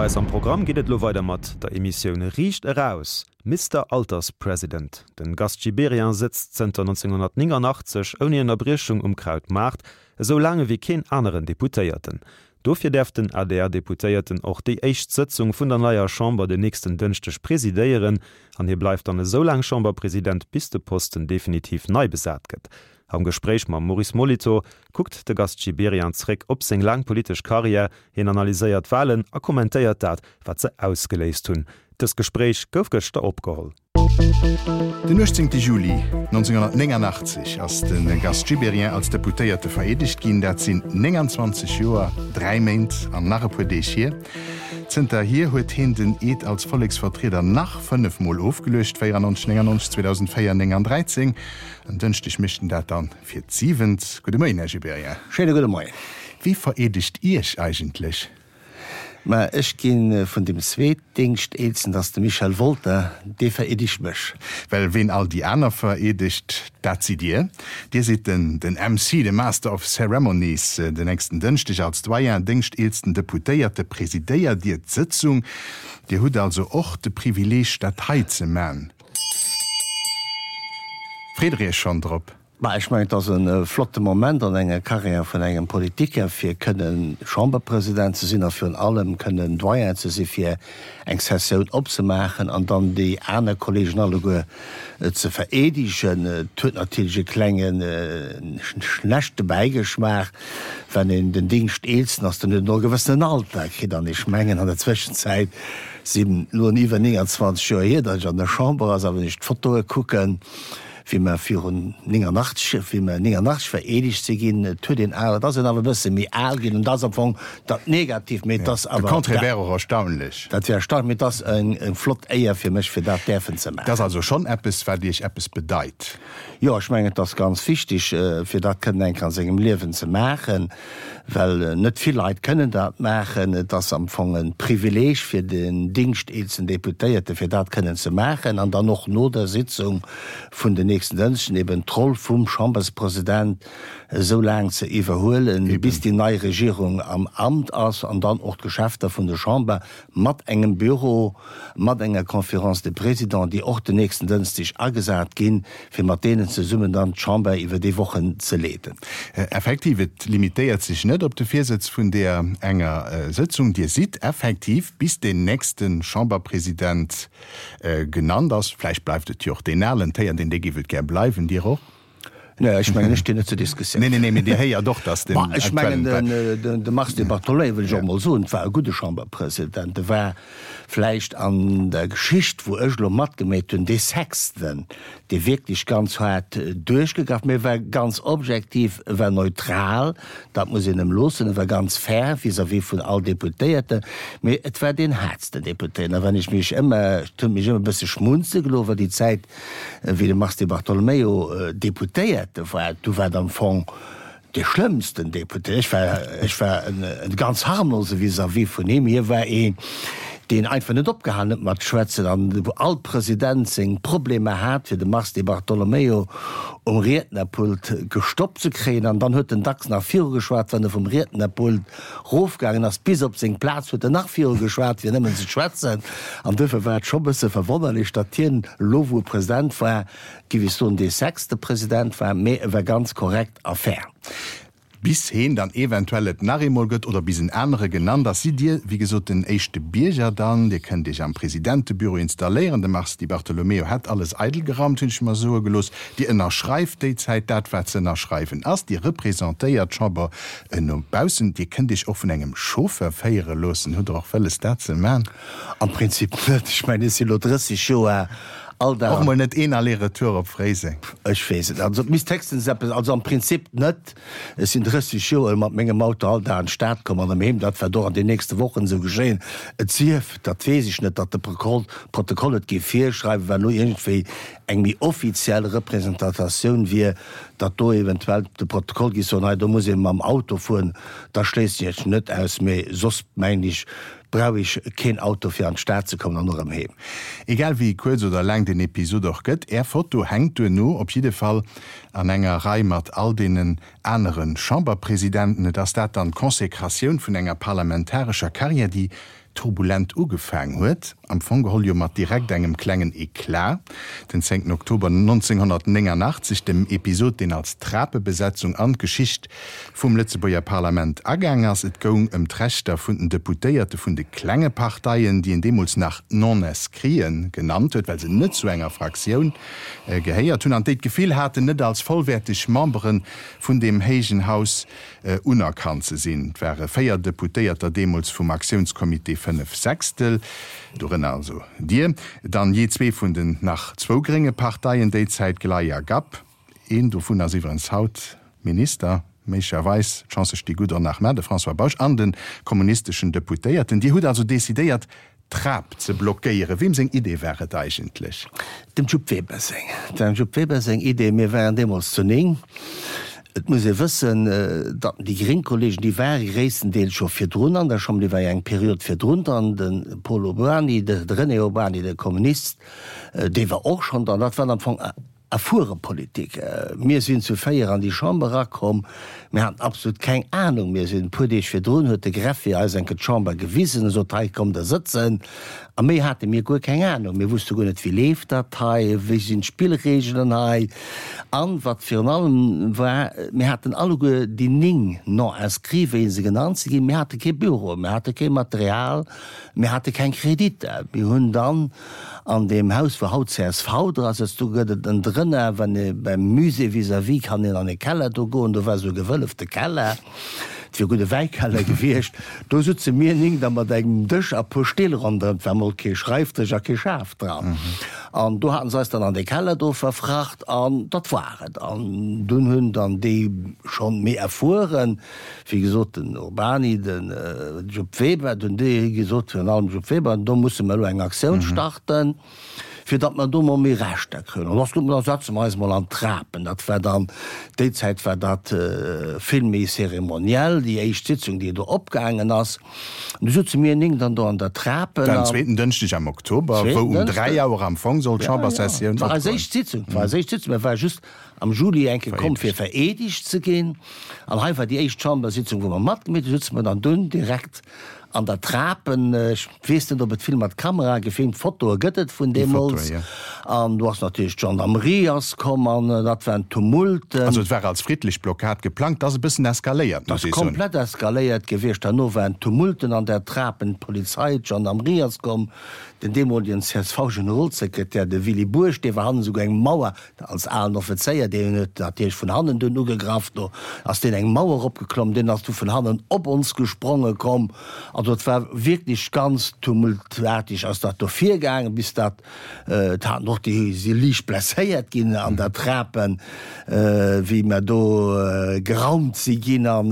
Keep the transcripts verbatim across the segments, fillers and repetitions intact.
Bei eis am Programm geet et elo weider mat der Emissioun Riicht Eraus, Mister Alterspresident. Den Gast Gibéryen sëtzt zënter nonzénghonnertnéngannachtzeg ouni Ënnerbriechung um Krautmaart, esou laang ewéi keen aneren Deputéierten. Dofir däerf den A D R-Deputéierten och déi éischt Sëtzung vun der neier Chamber den nächsten Dënschdeg presidéieren an hie bleift dann esou laang Chamberpresident, bis de Posten definitiv nei besat gëtt. Am Gespréich mam Maurice Molitor kuckt de Gast Gibéryen zréck op seng laang politesch Karriär, hien analyséiert d'Walen a kommentéiert dat, wat se ausgeléist hunn. Dëst Gespréich gouf gëschter opgeholl. Den uechtzéngte Juli nonzénghonnertnéngannachtzeg ass de Gast Gibéryen als Deputéierte vereedegt ginn. Dat sinn nénganzwanzeg Joer, dräi Méint an nach e puer Deeg hier. Zënterhier huet hien den Eed als Volleksvertrieder nach fënnef Mol ofgeluecht, véierannonzeg, néngannonzeg, zweedausendvéier, néng an dräizéng. En Dënschdeg mécht en dat dann fir d'siwent. Gudde Moien, Här Gibéryen. Schéine gudde Moien. Wie vereedegt Iech eigentlech? Mä ech gi vun dem Zweetdéngschteelsten, dat ass de Michel Wolter, dee vereedegt mech. Well ween all déi aner vereedegt, dat sidd Dir. Dir sidd den den M C, de Master of Ceremonies. Den nächsten Dënschdeg als Doyen, déngschteelsten Deputéierte, presidéiert Dir d'Sëtzung. Dir hutt also och de Privileeg, dat hei ze man. Freet Der Iech schonn drop? Bah, ech mengen, et ass e flotte Moment an enger Karriär vun engem Politiker, fir kënnen Chamberpresident ze sinn a virun allem kënnen Doyen ze si fir eng Sessioun opzemaachen an dann déi aner Kollegen alleguer ze vereedegen. Et huet natierlech e klenge schlechte Bäigeschmaach, wann een den Dingschteelsten ass, dann huet en och e gewëssenen Alter kritt. An ech mengen, an der Zwëschenzäit sinn elo iwwer nénganzwanzeg Joer hier, datt ech an der Chamber ass, a wann ech d'Fotoe kucken, wéi mer virun néngannachtzeg, wéi mer néngannachtzeg vereedegt si ginn, et huet een awer, et ass een awer e bësse méi al ginn, an dat ass am Fong dat Negativt, mee et ass De awer, Contraire wär och erstaunlech. Dat wär erstaunlech, mee et ass eng flott Éier fir mech, fir dat däerfen ze Dat ass maachen. Also schonn eppes, wat Iech eppes bedeit. Jo, ech mengen, et ass ganz wichteg, fir dat kënnen eng Kéier an sengem Liewen ze maachen, well net vill Leit kënnen dat maachen. Et ass am Fong e Privileeg fir den dingschteelsten Deputéierte fir dat kënnen ze maachen an dann och no der Sitzung vun den nächsten Dënschden eben d'Roll vum Chamberspresident esou laang ze iwwerhuelen, bis déi nei Regierung am Amt ass, an dann och d'Geschäfter vun der Chamber mat engem Büro, mat enger Conférence des Présidents, déi och den nächsten Dënschdeg agesat ginn, fir mat deenen zesummen dann d'Chamber iwwer déi Wochen ze leeden. Effektiv, et limitéiert sech net op de Virsëtz vun där enger Sëtzung. Dir sidd effektiv, bis deen nächste Chamberpresident genannt ass, vläicht bleift et jo och deen alen, d'héiert een, dee géif et gär bleiwen, Dir och? Nee, ech mengen, ech stinn net zur Diskussioun. Nee, nee, nee, mee Dir héiert och, datt den Ma ech mengen, aktuellen den, de Mars Di Bartolomeo, wëll ech och emol soen, war e gudde Chamberpresident. E war vläicht an der Geschicht, wou ech elo matgeméit hunn, dee Sechsten, dee wierklech ganz haart duerchgegraff, mee e war ganz objektiv, e war neutral, dat muss een em loossen, e war ganz fair vis-à-vis vun all Deputéierten, mee et war deen haartsten Deputéierten. A wann ech mech ëmmer, et huet mech ëmmer e bësse schmunze gelooss, war déi Zäit, wéi de Mars Di Bartolomeo Deputéierte war, du war et am Fong dee schlëmmsten Deputéierten. Ech war, ech war en, en ganz harmlose vis-à-vis vun him. Hie war een, deen einfach net opgehalen huet mat schwätzen an wou all President seng Problemer hat, fir de Mars Di Bartolomeo um Riednerpult gestoppt ze kréien. An dann huet en dacks nach virugeschwat, wann e vum Riednerpult rofgaangen ass bis op seng Plaz, huet en nach virugeschwat, fir nëmmen ze schwätzen. An duerfir war et scho bësse verwonnerlech, datt hien elo, wou e President war, géif ech soen, dee sechste President war, mee e war ganz korrekt a fair. Bis heen dann eventuell et nach eemol gëtt oder bis en anere genannt ass, sidd Dir, wéi gesot, den éischte Bierger dann. Dir kënnt Iech am Presidentebüro installéieren. De Mars Di Bartolomeo hätt alles eidel geraumt, hunn ech mer soe gelooss. Dir ënnerschreift déi Zäit dat, wat ze ënnerschreiwen ass. Dir representéiert d'Chamber no baussen. Dir kënnt Iech och vun engem Chauffeur féiere loossen. Hutt Der och wëlles, dat ze man? Am Prinzip net. Ech mengen, ech si lo drësseg Joer all Dag. Och mol net een Aller-retour op Fréiseng? Ech weess et net. Also et misst héchstens eppes, also am Prinzip net. Ech sinn drësseg Joer mat mengem Auto all Dag an d'Stad komm an erëm heem. Dat wäert och an den nächste Wochen esou geschéien. Et sief, dat weess ech net, datt de Protokoll et géif virschreiwen, well elo iergendwéi eng méi offiziell Representatatioun wier, datt do eventuell de Protokoll géif soen, hei do muss ee mam Auto fueren. Da schléissen ech et net aus. Mee soss mengen ech, brauch ech keen Auto fir an d'Stad ze kommen an och erëm heem. Egal wéi kuerz oder laang den Episod och gëtt, är Foto hänkt duerno op jidde Fall an enger Rei mat all deenen anere Chamberpresidenten. Et ass dat dann d'Consécratioun vun enger parlamentarescher Carrière, déi turbulent ugefaang huet, am Fong geholl jo mat direkt engem klengen Eclat, den zéngten Oktober neunzehnhundertneunundachtzig, dem Episod, deen als Trapebesetzung an d'Geschicht vum Lëtzebuerger Parlament agaang ass. Et goung ëm d'Rechter vun den Deputéierte vun de klenge Parteien, déi een deemools nach Non-inscriten genannt huet, well se net zu enger Fraktioun gehéiert hunn an déi d'Gefill haten, net als vollwäerteg Membere vun deem héijen Haus unerkannt ze sinn. Et ware véier Deputéierter deemools vum Aktiounscomité Fënnef Sechstel, dorënner also Dir, dann jee zwee vun den nach zwou grénge Parteien déi Zäit, Glei a Gap. Een dovun ass iwwerens haut Minister, méiglecherweis, d'Chancë sti gutt, och nach mä, de François Bausch, an de kommunisteschen Deputéierten. Dir hutt also decidéiert, d'Trap ze blockéieren. Weem seng Idee war et eigentlech? Dem Jupp Weber seng. Dem Jupp Weber seng Idee. Mir waren deemools zu néng. Et muss ee wëssen, datt déi gréng Kollegen, déi ware gréisstendeels scho virdrun an der Chamber, déi war jo eng Period virdrun dran, de Paul Urbany, de René Urbany, de Kommunist, dee war och schonn dran. Dat waren am Fong erfuere Politiker. Mir sinn zu véier an déi Chamber erakomm, mir haten absolut keng Anung. Mir sinn e puer Deeg virdrun, huet de Greffier eis eng Kéier d'Chamber gewisen, e sot, hei kommt der sëtzen. A méi hate mir guer keng Anung. Mir wusste guer net, wéi leeft dat hei, wéi sinn d'Spillregelen hei. An wat virun allem war, mir haten alleguer déi néng Non-inscrits, wéi se genannt si ginn, mir hate kee Büro, mir hate kee Material, mir hate keng Kreditter. Mir hunn dann an deem Haus, wou haut csv dra sëtzt, do gëtt et ënnendrënner, wann ee beim Musée vis-à-vis, kann een an e Keller do goen, do war esou e gewëllefte Keller. Et wier gudde Wäikeller gewiescht. Do sutze mir néng da mat engem Dësch a puer Still ronderëm. Et war mol kee Schreifdësch a kee Schaf dran. An do haten se eis dann an dee Keller do verfracht an dat war et. An dunn hunn dann déi schonn méi erfueren, wéi gesot den Urbany, de Jupp Weber, dunn déi gesot, virun allem Jupp Weber, do musse mer elo eng Aktioun starten. fir datt mer do mol méi Rechter kréien. An da sot mer, da setze mer eis mol an d'Trapen. Dat war dann, déi Zäit war dat vill méi zeremoniell, déi éischt Sitzung, déi do opgaangen ass. An du sutze mir néng dann do an der Trapen. Dat en zweeten Dënschdeg am Oktober, wou um dräi Auer am Fong soll d'Chambersessioun opgoen. Dat war eis éischt Sitzung, dat war eis éischt Sitzung. Mir ware just am Juli eng Kéier komm, fir vereedegt ze ginn. An hei war déi éischt Chambersitzung, wou mer matgemeet hunn. Du sutze mer dann dunn direkt An der Trapen, ech weess net, ob et vill mat Kamera gefilmt, Fotoe gëtt et vun deemools. An do ass natierlech d'Gendarmerie ass komm an dat waren Tumulten. Also et war als friddlech Blockad geplangt, ass e bëssen eskaléiert, muss ee soen. Ass komplett eskaléiert gewiescht. Herno waren Tumulten an der Trapen, d'Polizei, d'Gendarmerie ass komm. Den deemolegen C S V-Generolsekretär, de Willy Bourg, dee war hannen esouguer eng Mauer, als alen Offizéier, deen huet natierlech vun hannen dunn ugegraff, do ass deen eng Mauer eropgeklomm, deen ass du vun hannen op ons gespronge komm. Also et war wierklech ganz tumultartig ass dat do virgaangen, bis dat, et haten och déi si liicht blesséiert ginn an der Trapen, wéi mer do geraumt si ginn an,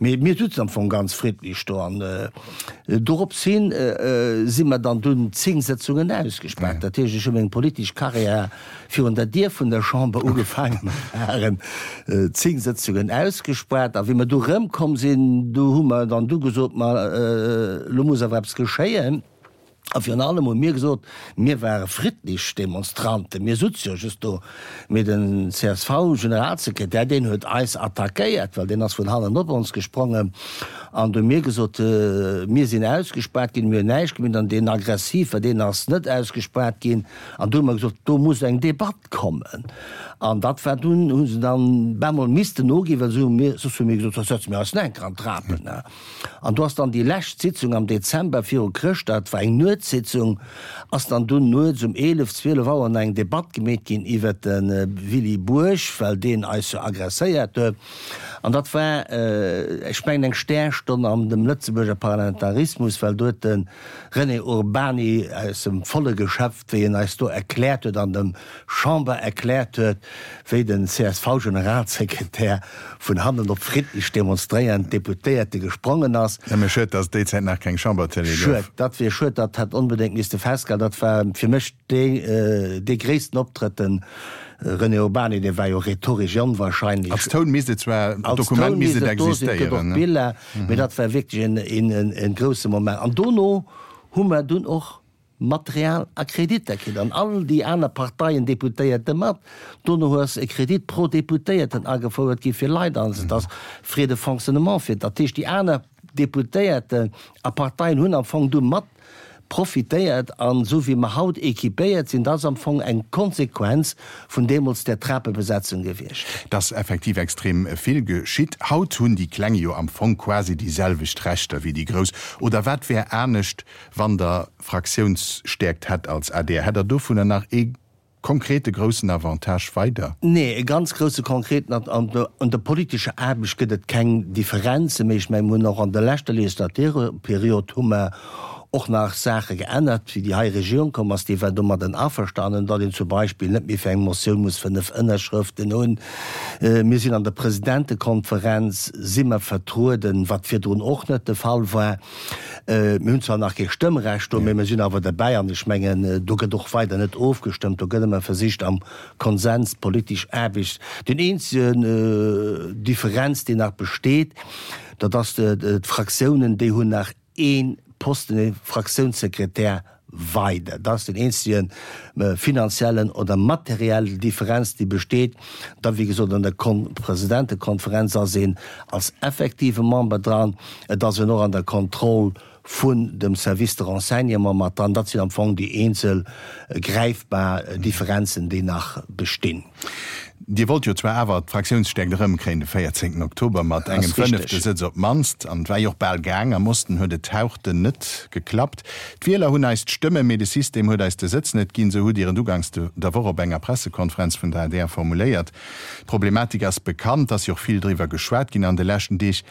mee mir sutzen am Fong ganz friddlech do an dorops hin si mer dann dunn zéng Sëtzungen ausgespaart. Dat heescht, ech hu meng politesch Karriär virun der Dier vun der Chamber ugefaangen, mer waren zéng Sëtzungen ausgespaart. A wéi mer du erëmkomm sinn, du hu mer dann du gesot, ma elo muss awer eppes geschéien. A virun allem hu mir gesot, mir ware friddlech Demonstranten, mir sutze jo just do. Mee den C S V-Generalsekretär, deen huet eis attackéiert, well deen ass vun hannen op ons gesprongen. An du hu mir gesot, mir sinn ausgespaart ginn, mir hunn näischt gemaach. An deen Aggressive, deen ass net ausgespaart ginn. An du hu mer gesot, do muss eng Debatt kommen. An dat war dunn, hu se dann bemol missten noginn, well se hu mir, soss hu mir gesot, soss setze mir eis nach eng Kéier an d'Trapen. An do ass dann déi lescht Sitzung am Dezember viru Chrëschtdag, dat war eng Nuetssitzung, ass dann dunn nuets um eelef, zwielef Auer nach eng Debatt gemeet ginn iwwert de Willy Bourg, well deen eis jo agresséiert huet. An dat war, ech mengen, eng Stärstonn an dem Lëtzebuerger Parlamentarismus, well do huet de René Urbany aus dem volle Geschäft, wéi en eis do erkläert huet, an dem Chamber erkläert huet, wéi den C S V-Generalsekretär vun hannen op friddlech demonstréierend Deputéierte gesprongen ass. Nëmme schued, datt et déi Zäit nach keng Chambertélé gouf. Schued, dat wier schued, dat hätt onbedéngt misste festgehalen. Dat war fir mech dee dee gréissten Optrëtt. De René Urbany, dee war jo rhetoresch onwahrscheinlech. Als Toun misst et zwar, Als Dokument Toun misst misst et et do sinn, et gëtt och existéieren. Biller, mee dat war wierklech en en en grousse Moment. An dono hu mer dunn och Material a Kreditter kritt, an all déi aner Parteien, Deputéierte mat. Dono ass e Kredit pro Deputéierten agefouert gi fir Leit, also et ass Frais de fonctionnement fir, dat heescht déi aner Deputéierten a Parteien hunn am Fong do mat profitéiert. An esou wéi mer haut équipéiert sinn, dat ass am Fong eng Konsequenz vun deemools där Trapebesetzung gewiescht. Et ass effektiv extrem vill geschitt. Haut hunn déi Kleng jo am Fong quasi déi selwecht Rechter wéi déi Grouss. Oder wat wär anescht, wann Der Fraktiounsstäerkt hätt als adr? Hätt Der dovunner nach ee konkrete groussen Avantage weider? Nee, e ganz grousse konkreten, an an der politescher Aarbecht gëtt et keng Differenzen, mee ech mengen, mir hunn och an der leschter Legislaturperiod hu mer och nach Saache geännert, wéi déi hei Regierung komm ass, déi war domadden averstanen, datt een zum Beispill net méi fir eng Motioun muss fënnef Ënnerschrëften hunn. Mir sinn an der Presidentekonferenz si mer vertrueden, wat virdrun och net de Fall war. Mir hunn zwar nach kee Stëmmrecht do, mee mir sinn awer derbäi an ech mengen, do gëtt och weider net ofgestëmmt, do gëtt ëmmer versicht am Konsens d'politesch Aarbecht. Deen eenzegen Differenz, déi nach besteet, dat ass, d'Fraktiounen, déi hunn nach ee Posten, ee Fraktiounssekretär weider. Dat ass den eenzege finanziellen oder materiell Differenz, déi besteet. Da wéi gesot, an der Presidentekonferenz ass een als effektive Member dran. Et ass een och an der Kontroll vun dem Service de renseignement mat dran. Dat sinn am Fong déi eenzel gräifbar Differenzen, déi nach bestinn. Dir wollt jo zwar awer d'Fraktiounsstäerkt erëmkréien de véierzéngten Oktober mat engem fënnefte Sëtz op d'mannst, an et war jo och bal gaang. Am Osten huet et hauchten net geklappt. D'Wieler hunn eis d'Stëmme, mee de System huet eis de Sëtz net ginn, esou hutt Dir et uganks der Woch op enger Pressekonferenz vun der adr formuléiert. D'Problematik ass bekannt, et ass jo och vill driwwer geschwat ginn an de leschten Deeg.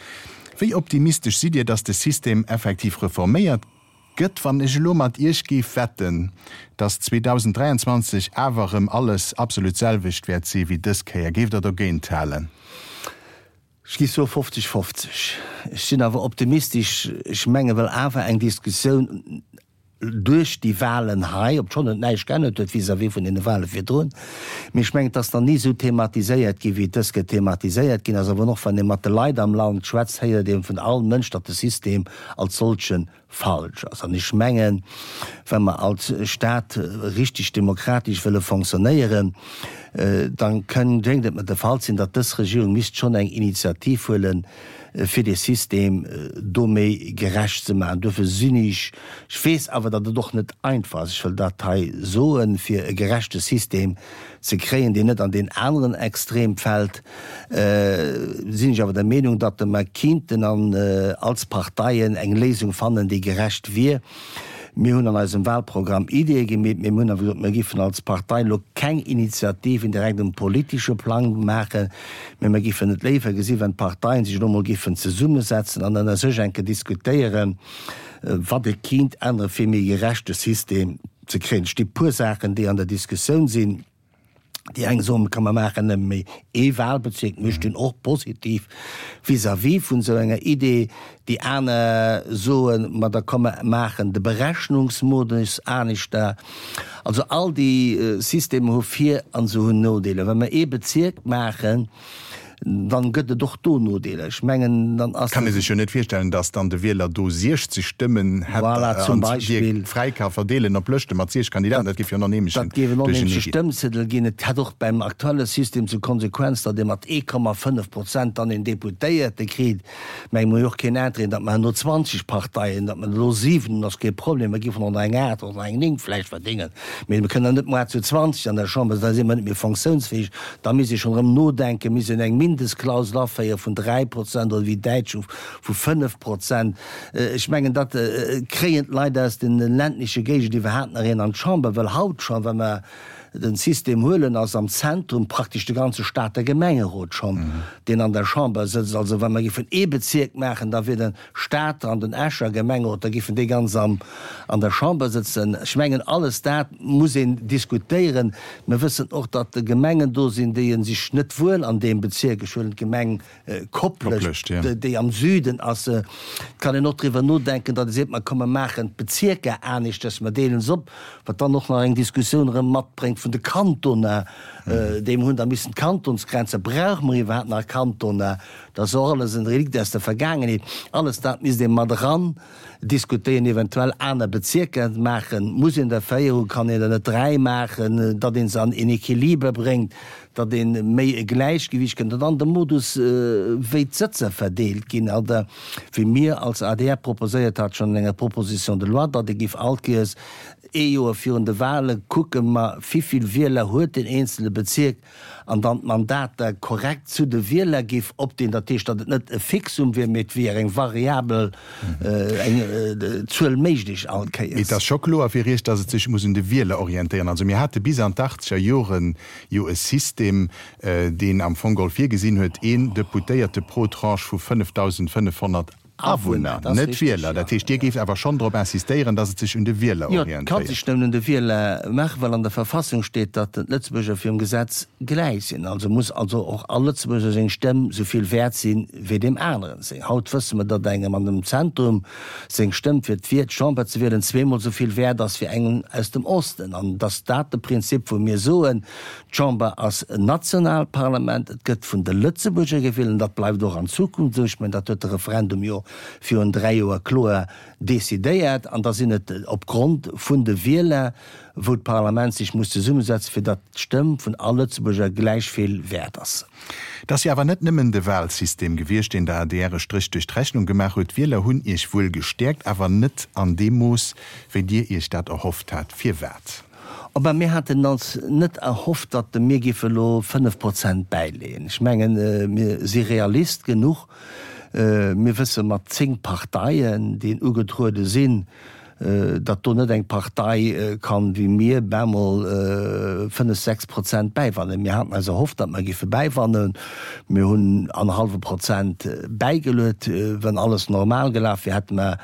Wéi optimistesch sidd Dir, datt de System effektiv reforméiert gëtt? Wann ech elo mat Iech géif wetten, datt zweedausenddräianzwanzeg awer erëm alles absolut d'selwecht wäert si wéi dës Kéier, géift Der dogéint halen? Ech géif soe fofzeg fofzeg. Ech sinn awer optimistesch. Ech menge well awer eng Diskussioun duerch déi Wahlen hei, obschonn et näischt geännert huet vis-à-vis vun deene Wahle virdrun, mee ech mengen, et ass nach ni esou thematiséiert ginn, wéi et dës Kéier thematiséiert ginn ass. Awer och wann ee mat de Leit am Land schwätzt, héiert ee vun all Mënsch, datt de System als solche falsch ass. An ech mengen, wa mer als Stat richtig demokratesch wëlle fonctionnéieren, da kënn, géing et mer de Fall sinn, datt dës Regierung misst schonn eng Initiativ huelen, fir dee System do méi gerecht ze maachen. Duerfir sinn ech, ech weess awer, datt et och net einfach ass, ech wëll dat hei soen, fir e gerechte System ze kréien, deen net an deen aneren Extrem fält, sinn ech awer der Meenung, datt mer kinnten an als Parteien eng Léisung fannen, déi gerecht wier. Mir hunn an eisem Wahlprogramm Ideeë gemeet, mee mir hunn awer gesot, mir géifen als Partei elo keng Initiativen direkt um politesche Plang maachen, mee mir géifen et léiwer gesinn, wann d'Parteien sech elo emol géifen zesummesetzen an ënner sech eng Kéier diskutéieren, wat ee kinnt ännere fir e méi gerechte System ze kréien. Et sti puer Saachen, déi an der Diskussioun sinn. Déi eng soen, komm mer maachen nëmme méi ee Wahlbezierk. Mir stinn och positiv vis-à-vis vun esou enger Idee. Déi aner soen, ma da komm mer maachen de Berechnungsmodus aneschter. Also all déi Systemer hu Vir an se hunn Nodeeler. Wa mer ee Bezierk maachen, dann gëtt et och do Nodeeler. Ech mengen, dann ass. Kann ee sech jo net virstellen, datt dann de Wieler do siechzeg Stëmmen hätt Voilà, zum an déi Beispill. fräi ka verdeelen op Lëschte mat siech Kandidaten. Dat géif jo en onheemlechen Dat géif en onheemleche Duerchernee ginn. Stëmmziedel ginn. Et hätt och beim aktuelle System zur Konsequenz, datt ee mat ee Komma fënnef Prozent dann een Deputéierte kritt. Mä mir hu jo och keen Interêt, datt mer herno zwanzeg Parteien, datt mer elo siwen hunn, ass kee Problem. Mer géifen och nach eng aacht oder eng néng vläicht verdéngen. Mee mer kënnen net muar zu zwanzeg an der Chamber sinn, da si mer net méi fonctiounsfäeg. Da misst ee schonn erëm nodenken, misst een eng Mindestklausel aféiere vun dräi Prozent oder wéi d'Däitsch hu vu fënnef Prozent. Ech mengen, dat kréien d'Leit aus de ländleche Géigend iwwerhaapt nach een an d'Chamber, well haut schonn, wa mer den System huelen, ass am Zentrum praktesch de ganze Stater Gemengerot schonn, deen an der Chamber sëtzt. Also wa mer géifen ee Bezierk maachen, da wier de Stater an den Escher Gemengerot, da géifen déi ganz am an der Chamber sëtzen. Ech mengen, alles dat muss een diskutéieren. Mir wëssen och, datt Gemengen do sinn, déi sech net wuel an deem Bezierk, ech huelen d'Gemeng Koplescht, déi am Süden ass, et kann een och driwwer nodenken, datt ee seet, mer komm mer maachen d'Bezierker aneschters, mer deelen se op, wat dann och nach eng Diskussioun erëm matbréngt vun de Kantoner, déi mer hunn da missen d'Kantonsgrenze, brauche mer iwwerhaapt nach Kantoner? Dat ass och alles en Relikt aus der Vergaangenheet. Alles dat misst ee mat eran diskutéieren, eventuell aner Bezierker maachen. Muss een der véier hunn, kann een der net dräi maachen, datt ee se an een Equiliber bréngt, datt ee méi e Gläichgewicht kënnt. An dann de Modus, wéi d'Sëtzer verdeelt ginn, oder wéi mir als adr proposéiert hat schonn an enger Proposition de loi, datt ee géif all Kéiers ee Joer virun de Wale kucken, ma wivill Wieler huet deen eenzele Bezierk, an dann d'Mandater korrekt zu de Wieler géif opdeelen, dat heescht, datt et net e Fixum wier, mee et wier eng variabel, eng Zuel méiglech all Kéiers. Et ass scho kloer fir Iech, datt et sech muss un de Wieler orientéieren. Also mir hate bis an d'Achtzeger Jore jo e System, deen am Fong geholl virgesinn huet, een Deputéierte pro Tranche vu fënnefdausendfënnefhonnert Awunner, net Wieler. Dat heescht, Dir géift awer schonn drop insistéieren, datt et sech un de Wieler orientéiert. Jo, et ka sech nëmmen un de Wieler maachen, well an der Verfassung steet, datt d'Lëtzebuerger virum Gesetz gläich sinn. Also muss also och all Lëtzebuerger seng Stëmm esou vill wäert sinn, wéi deem aneren seng. Haut wësse mer, datt engem an dem Zentrum seng Stëmm, fir d'Chamber ze wielen, zweemol esou vill wäert ass, wéi engem aus dem Osten. An et ass dat de Prinzip, wou mir soen, D'Chamber ass en nationaalt Parlament, et gëtt vun de Lëtzebuerger gewielt an dat bleift och an Zukunft esou. Ech mengen, dat huet de Referendum jo virun dräi Joer kloer decidéiert. An da sinn et opgrond vun de Wieler, wou d'Parlament sech muss zesummesetzen, fir datt d'Stëmm vun all Lëtzebuerger gläich vill wäert ass. Et ass jo awer net nëmmen de Wahlsystem gewiescht, deen der adr e Stréch duerch d'Rechnung gemaach huet. D'Wieler hunn Iech wuel gestäerkt, awer net an deem Mooss, wéi Dir Iech dat erhofft hat. Firwat? Enfin, mir haten ons net erhofft, datt mir géife elo fënnef Prozent bäileeën. Ech mengen, mir si Realist genuch. Mir wësse mat zéng Parteien, déi ugetruede sinn, datt do net eng Partei kann wéi mir bemol fënnef, sechs Prozent bäiwannen. Mir haten eis erhofft, datt mer géife bäiwannen. Mir hunn annerhallwe Prozent bäigeluet. Wann alles normal gelaf wier, hätte mer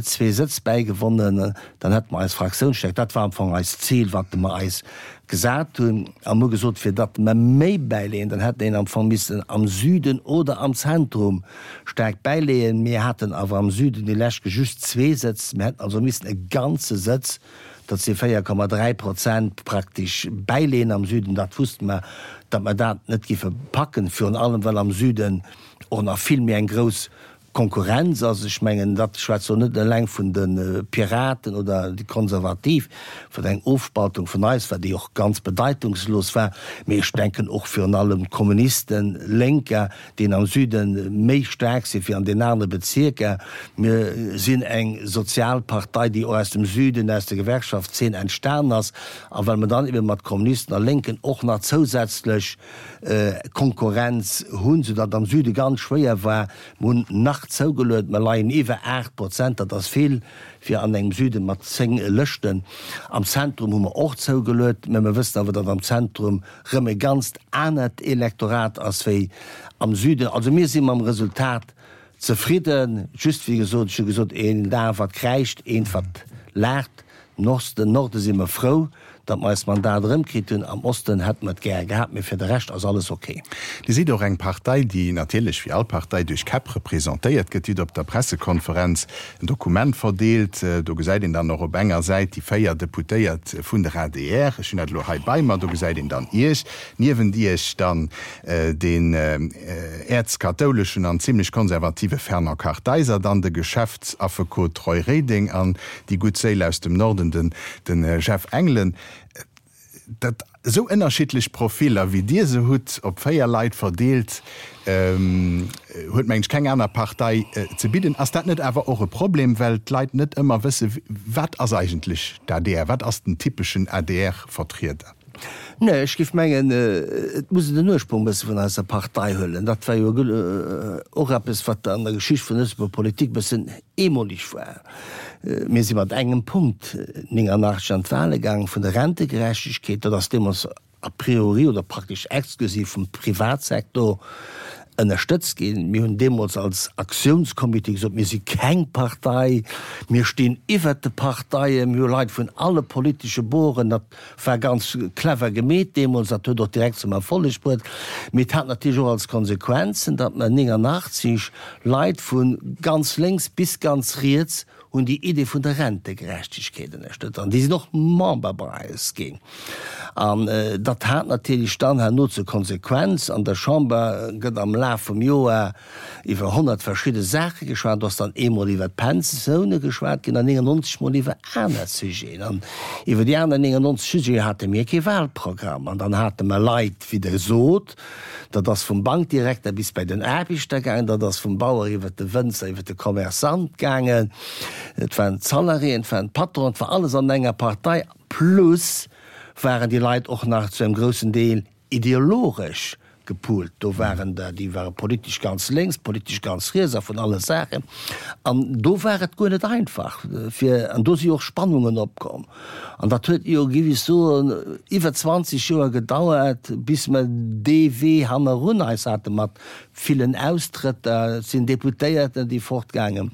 zwee Sëtz bäigewonnen, dann hätte mer eis Fraktiounsstärkt, dat war am Fong eist Zil, wat mer eis gesat hunn, a mer hu gesot, fir datt mer méi bäileeën, dann hätt een am Fong missen am Süden oder am Zentrum staark bäileeën. Mir haten awer am Süden déi lescht just zwee Sëtz, mir hätten also missen e ganze Sëtz, dat si véier Komma dräi Prozent, praktesch bäileeën am Süden. Dat wusste mer, datt mer dat net géife packen, virun allem well am Süden och nach vill méi eng grouss Konkurrenz ass. Ech mengen, dat schwätzt elo net eleng vun de Piraten oder déi Konservativ, wat eng Ofspaltung vun eis war, déi och ganz bedeitungslos war, mee ech denken och virun allem d'Kommunisten, Lénker, déi am Süde méi staark si wéi an den anere Bezierker. Mir sinn eng sozial Partei, déi och aus dem Süden, aus der Gewerkschaftszeen entstan ass. A well mer dann ebe mat Kommunisten a Lénken och nach zousätzlech Konkurrenz hunn, soudatt am Süde ganz schwéier war, Mer hunn nach zougeluet, mer leien iwwer aacht Prozent, dat ass vill fir an engem Süde mat zéng Lëschten. Am Zentrum hu mer och zougeluet, mä mer wëssen awer, datt am Zentrum rëm e ganzt anert Elektorat ass wéi am Süden. Also mir si mam Resultat zefridden, just wéi gesot, ech hu gesot, een Dag wat kräischt, eent wat laacht. Nosten, Norde si mer frou, datt mer eist Mandat erëmkritt hunn. Am Osten hätte mer et gär gehat, mee fir de Rescht ass alles ok. Dir sidd och eng Partei, déi natierlech wéi all Partei duerch Käpp representéiert gëtt. Dir hutt op der Pressekonferenz en Dokument verdeelt. Do gesäit een dann och op enger Säit déi véier Deputéiert vun der adr. Ech hunn dat elo hei bei mer. Do gesäit een dann Iech, niewent Iech dann deen äerzkathouleschen an zimlech konservative Fernand Kartheiser, dann de Geschäftsaffekot Roy Reding an déi gutt Séil aus dem Norden, den de Jeff Engelen. Dat esou ënnerschiddlech Profiller, wéi Dir se hutt, op véier Leit verdeelt, huet, mengen ech, keng aner Partei ze bidden. Ass dat net awer och e Problem, well d'Leit net ëmmer wësse, wat ass eigentlech d'ADR, wat ass den typeschen ADR-Vertrieder? Nee, ech géif mengen, et muss een den Ursprong e bësse vun eiser Partei huelen. Dat war jo och eppes, wat an der Geschicht vun der Lëtzebuerger Politik e bëssen eemoleg war. Mir si mat engem Punkt nénganachteg an d'Wahle gaangen, vun der Rentegerechtegkeet. Dat ass deemools a priori oder praktesch exklusiv vum Privatsektor ënnerstëtzt ginn. Mir hunn deemools als Aktiounscomité gesot, mir si keng Partei, mir stinn iwwert de Parteien, mir hu Leit vun alle politesche Boren. Dat war ganz clever gemeet deemools, dat huet och direkt zum Erfolleg bruet. Mee et hat natierlech och als Konsequenzen, datt mer nénganachtzeg Leit vu ganz lénks bis ganz riets hunn déi Idee vun der Rentegerechtegkeet ënnerstëtzt an déi sinn och Member bei eis ginn. An dat hat natierlech dann herno zur Konsequenz, an der Chamber gëtt am Laf vum Joer iwwer honnert verschidde Saache geschwat, do ass dann eemol iwwer d'Pensioune geschwat ginn an néngennonzeg mol iwwer aner Sujeten. An iwwer déi aner néngennonzeg Sujete hate mir kee Wahlprogramm. An dann hate mer Leit, wéi Der sot, dat ass vum Bankdirekter bis bei den Aarbechter gaangen, dat ass vum Bauer iwwer de Wënzer, iwwer de Commerçant gaangen, et waren d'Salariéen, et waren d'Patronen, et war alles an enger Partei, plus waren déi Leit och nach zu engem groussen Deel ideologesch gepoolt. Do waren der, déi ware politesch ganz lénks, politesch ganz riets a vun alle Saachen. An do war et guer net einfach fir, an do si och Spannungen opkomm. An dat huet jo, géif ech soen, iwwer zwanzeg Joer gedauert, bis mer dee Wee hannerun eis hate mat villen Austrëtter. Et sinn Deputéierten, déi fortgaangen.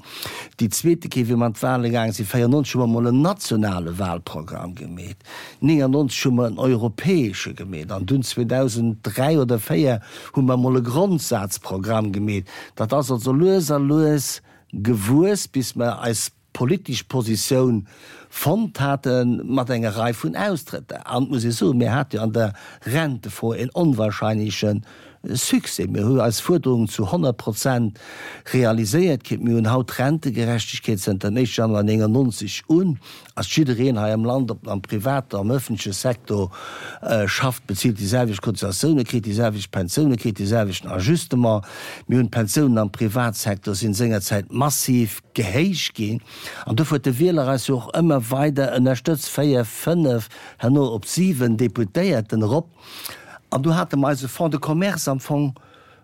Déi zweete Kéier, wéi mer an d'Wahle gaange sinn, véierennonzeg, hu mer emol en nationale Wahlprogramm gemeet, néngennonzeg hu mer en europäesche gemeet an dunn zweedausenddräi oder véier hu mer emol e Grondsazprogramm gemeet. Dat ass also lues a lues gewuess, bis mer eis politesch Positioun fonnt hate mat enger Rei vun Austrëtter. An et muss ee soen, mir hate jo an der Rentefro en onwahrscheinleche Succès. Mir hu eis Fuerderungen zu honnert Prozent realiséiert kritt. Mir hunn haut Rentegerechtegkeet zënter dem éischte Januar néngennonzeg un ass jiddereen hei am Land, ob en am private, am öffentleche Secteur schafft, bezilt déi selwecht Cotisatiounen, kritt déi selwecht Pensiounen, kritt dee selwechten Ajustement. Mir hunn d'Pensiounen am Privatsecteur sinn sengerzäit massiv gehéicht ginn an dofir huet de Wieler eis jo och ëmmer weider ënnerstëtzt, véier, fënnef, herno op siwen Deputéierten erop. An do hate mer eise Fonds de commerce am Fong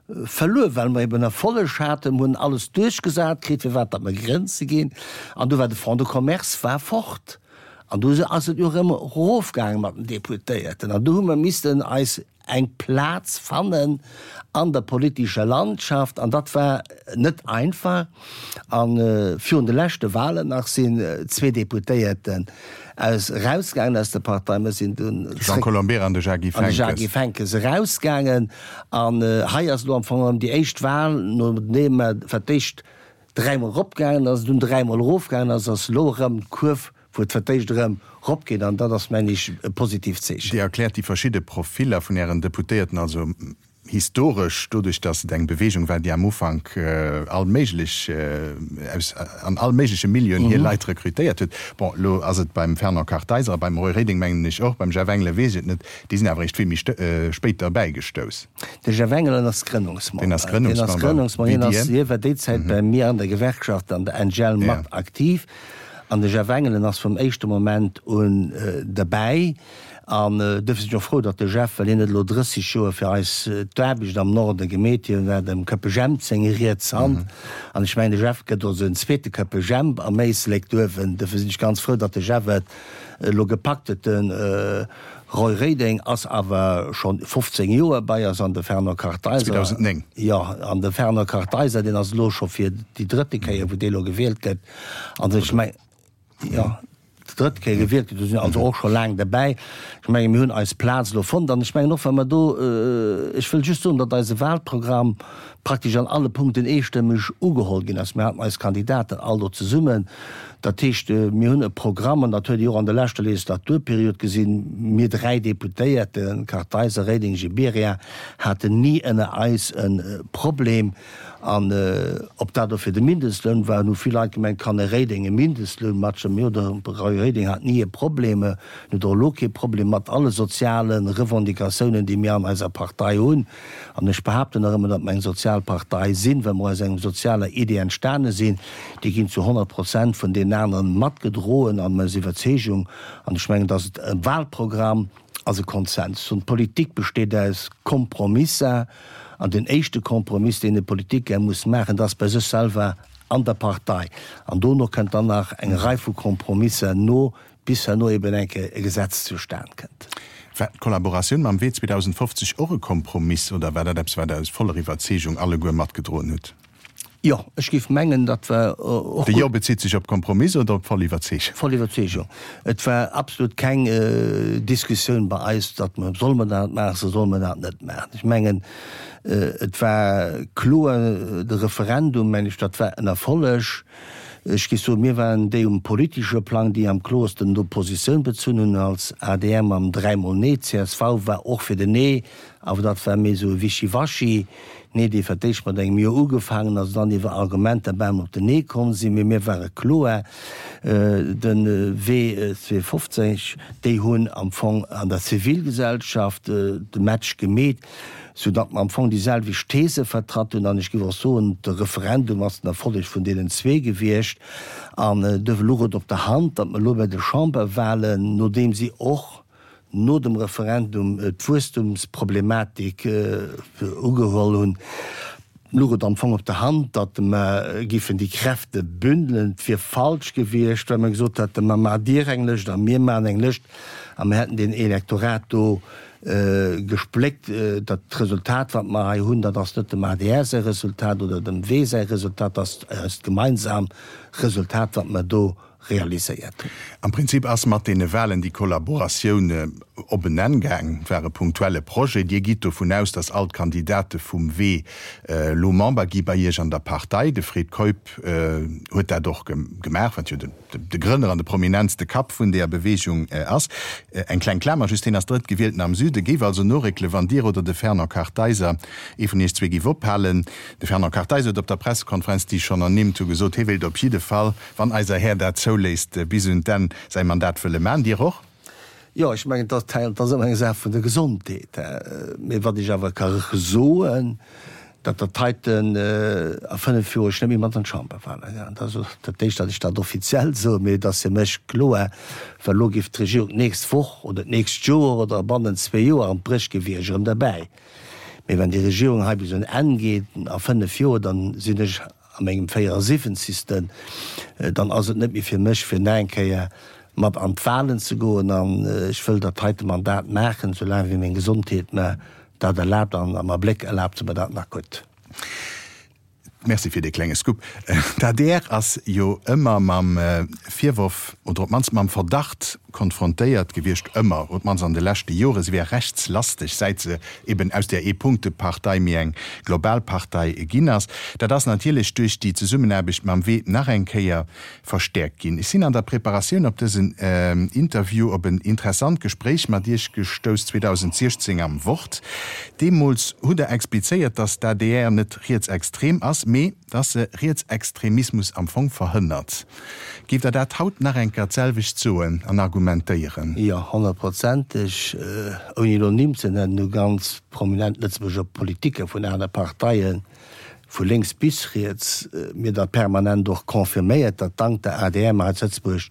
verluer, well mer eben Erfolleg haten, mer hunn alles duerchgesat kritt, firwat datt mer Grenze ginn. An du war de Fonds de commerce war fort. An du ass et jo erëm erofgaange mat den Deputéierten. An du hu mer missten eis eng Plaz fannen an der politescher Landschaft. An dat war net einfach. A virun de leschte Wahlen nach sinn zwee Deputéierten aus erausgaangen aus der Partei. Mir sinn dunn De Jean Colombera an de Jacques an de Jacques Henckes. Henckes erausgaangen. An hei ass elo am Fong erëm déi éischt Wahl, nodeem mer fir d'éischt dräimol eropgaangen ass, dunn dräimol erofgaangen ass, ass elo erëm d'Kurv, wou et fir d'éischt erëm eropgeet. An dat ass, mengen ech, e positiivt Zeechen. Dir erkläert déi verschidde Profiller vun Ären Deputéierten also historesch doduerch, datt et eng Beweegung war, déi am Ufank all méiglech, aus an all méigleche Milieuen hir Leit rekrutéiert huet. Bon, elo ass et beim Fernand Kartheiser a beim Roy Reding, mengen ech och, beim Jeff Engelen weess ech et net, déi sinn awer eréischt vill méi spéit derbäigestouss. De Jeff Engelen ass Grënnungsmember. Deen ass Grënnungsmember, Deen ass Grënnungsmember. Hien war déi Zäit bei mir an der Gewerkschaft an der N G L mat aktiv. An de Jeff Engelen ass vum éischte Moment un derbäi. An duerfir sinn ech och frou, datt de Jeff, well hien huet elo drësseg Joer fir eis d'Aarbecht am Norde gemeet, hien war dem Köppe Jemp seng riets Hand. An ech mengen, de Jeff gëtt also en zweete Köppe Jemp am Éislek duerfen. Duerfir sinn ech ganz frou, datt de Jeff et elo gepackt huet. De Roy Reding ass awer schonn fofzéng Joer bei eis an de Fernand Kartheiser. zweedausendnéng. Jo, an de Fernand Kartheiser, deen ass elo scho fir déi drëtte Kéier, wou dee elo gewielt gëtt. An ech mengen, jo, déi drëtt Kéier gewielt gëtt, do sinn also och scho laang derbäi. Ech mengen, mir hunn eis Plaz elo fonnt. An ech mengen och, wa mer do, ech wëll just soen, datt eise Wahlprogramm praktesch an alle Punkten eestëmmeg ugeholl ginn ass. Mir haten eis Kandidaten all do zesummen. Dat heescht, mir hunn e Programm, an dat huet Dir och an der leschter Legislaturperiod gesinn, mir dräi Deputéierten, Kartheiser, Reding, Gibéryen, haten ni ënner eis e Problem. An ob dat elo fir de Mindestloun war, hunn vill Leit gemengt, kann e Reding e Mindestloun matstëmmen? Jo, de Roy Reding hat ni e Problem, en huet och elo kee Problem mat alle soziale Revendicatiounen, déi mir an eiser Partei hunn. An ech behaapten nach ëmmer, datt mer eng sozial Partei sinn, well mer aus engem sozialer Idee entstane sinn. Déi ginn zu honnert Prozent vun deenen aneren matgedroen an eis Iwwerzeegung. An ech mengen, datt et e Wahlprogramm ass, e Konsens. Und Politik besteet aus Kompromisser. An den éischte Kompromiss, deen e Politiker muss maachen, dat ass bei sech selwer an der Partei. An dono kënnt dann nach eng Rei vu Kompromisser no, bis herno eben eng Kéier e Gesetz zustan kënnt. War d'Kollaboratioun mam Wee zweedausendfofzeg och e Kompromiss oder war dat eppes, wat Der aus voller Iwwerzeegung alleguer matgedroen hutt? Jo, ech géif mengen, dat war och. De Jo bezitt sech op Kompromiss oder op voll Iwwerzeegung? Voll Iwwerzeegung. Et war absolut keng Diskussioun bei eis, datt mer, solle mer dat maachen, solle mer dat net maachen. Ech mengen, et war kloer, de Referendum, mengen ech, dat war en Erfolleg. Ech géif soen, mir waren déi um politesche Plang, déi am kloersten do Positioun bezunn hunn als adr mam dräimol Nee. Csv war och fir den Nee, awer dat war méi esou e Wischiwaschi Nee, dee fir d'éischt mat engem Jo ugefaangen ass an dann iwwer Argumenter bal op den Nee komm sinn. Mee mir ware kloer de Wee zweefofzeg. Déi hunn am Fong an der Zivilgesellschaft de Match gemeet, soudatt mer am Fong déi selwecht These vertratt hunn. An ech géif och soen, de Referendum ass den Erfolleg vun deenen zwee gewiescht. An duerfir louch et op der Hand, datt mer elo bei de Chamberwahlen, nodeem si och no dem Referendum d'Wuesstumsproblematik ugeholl hunn, louch et am Fong op der Hand, datt mer géifen déi Kräfte bündelen. Et wier falsch gewiescht, wa mer gesot hätten, Ma maacht Dir eng Lëscht a mir maachen eng Lëscht a mer hätten deen Elektorat do gespléckt. Dat Resultat, wat mer hei hunn, dat ass net dem adr säi Resultat oder dem W säi Resultat, dat ass eist gemeinsam Resultat, wat mer do realiséiert hunn. Am Prinzip ass mat deene Wahlen déi Kollaboratioun op en Enn gaang. Et war e punktuelle Projet. Dir gitt dovun aus, datt all d'Kandidate vum W elo Member gi bei Iech an der Partei. De Fred Keup huet dat och gemaach, wat jo de Grënner an de prominentste Kapp vun deeër Beweegung ass. Eng kleng Klamer just, Hien ass Drëttgewielten am Süde, géif also noréckele wann Dir oder de Fernand Kartheiser, ee vun Iech zwee, géif ophalen. De Fernand Kartheiser huet op der Pressekonferenz, déi ech schonn ernimmt hu, gesot, hie wéilt op jidde Fall, wann eiser Här dat zouléisst, bis un d'Enn säi Mandat wëlle man. Dir och? Jo, ech mengen, dat ass ëmmer eng Saach vun der Gesondheet. Mee wat ech awer ka soen, datt dat heiten a fënnef Joer ech net méi mat an d'Chamberwahlen gaangen. Dat ass dat éischt, datt ech dat offiziell soen, mee et ass fir mech kloer, well elo géif d'Regierung d'nächst Woch oder d'nächst Joer oder bannent zwee Joer an d'Bréch ginn, wier ech erëm derbäi. Mee wann déi Regierung hei bis un Enn geet a fënnef Joer, dann sinn ech a mengem véierasiwwenzigsten, dann ass et net méi fir mech, fir nach eng Kéier mat an d'Wahlen ze goen. An ech wëll dat heite Mandat maachen, soulaang wéi meng Gesondheet mer dat erlaabt an am Abléck erlaabt se mer dat nach gutt. Merci fir dee klenge Scoop. D'adr ass jo ëmmer mam Virworf, oder op d'mannst mam Verdacht konfrontéiert gewiescht, ëmmer, op d'mannst an de leschte Joren, se wär rechtslasteg, säit se eben aus där Eepunktepartei méi eng global Partei ginn ass. Dat ass natierlech duerch déi Zesummenaarbecht mam W nach eng Kéier verstäerkt ginn. Ech sinn an der Preparatioun op dësen Interview op en interessant Gespréich mat Iech gestouss zweedausentsiechzéng am Wort. Deemools hutt Der explizéiert, datt d'ADR net rietsextrem ass, mee datt se Rietsextremismus am Fong verhënnert. Géift Der dat haut nach eng Kéier d'selwecht soen an argumentéieren? Jo, honnertprozenteg. Ouni elo Nimm ze nennen, hu ganz prominent Lëtzebuerger Politiker vun aner Parteien, vu lénks bis riets, mir dat permanent och confirméiert, datt dank der adr mer hei zu Lëtzebuerg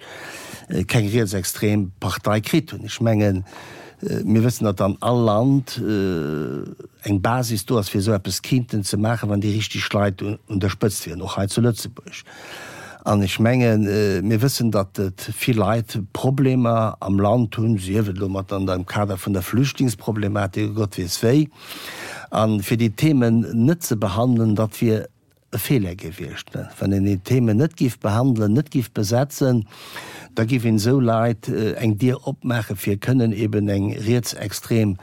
keng rietsextrem Partei kritt hunn. Ech mengen, mir wëssen, datt an all Land eng Basis do ass, fir esou eppes kinnten ze maachen, wann déi richteg Leit un der Spëtzt wieren, och hei zu Lëtzebuerg. An ech mengen, mir wëssen, datt et vill Leit Problemer am Land hunn, sief et elo mat an dem Kader vun der Flüchtlingsproblematik oder Gott weess wéi. A fir déi Themen net ze behandelen, dat wier e Feeler gewiescht. Wann een déi Themen net géif behandelen, net géif besetzen, da géif een esou Leit eng Dier opmaachen, fir kënnen eben eng rietsextrem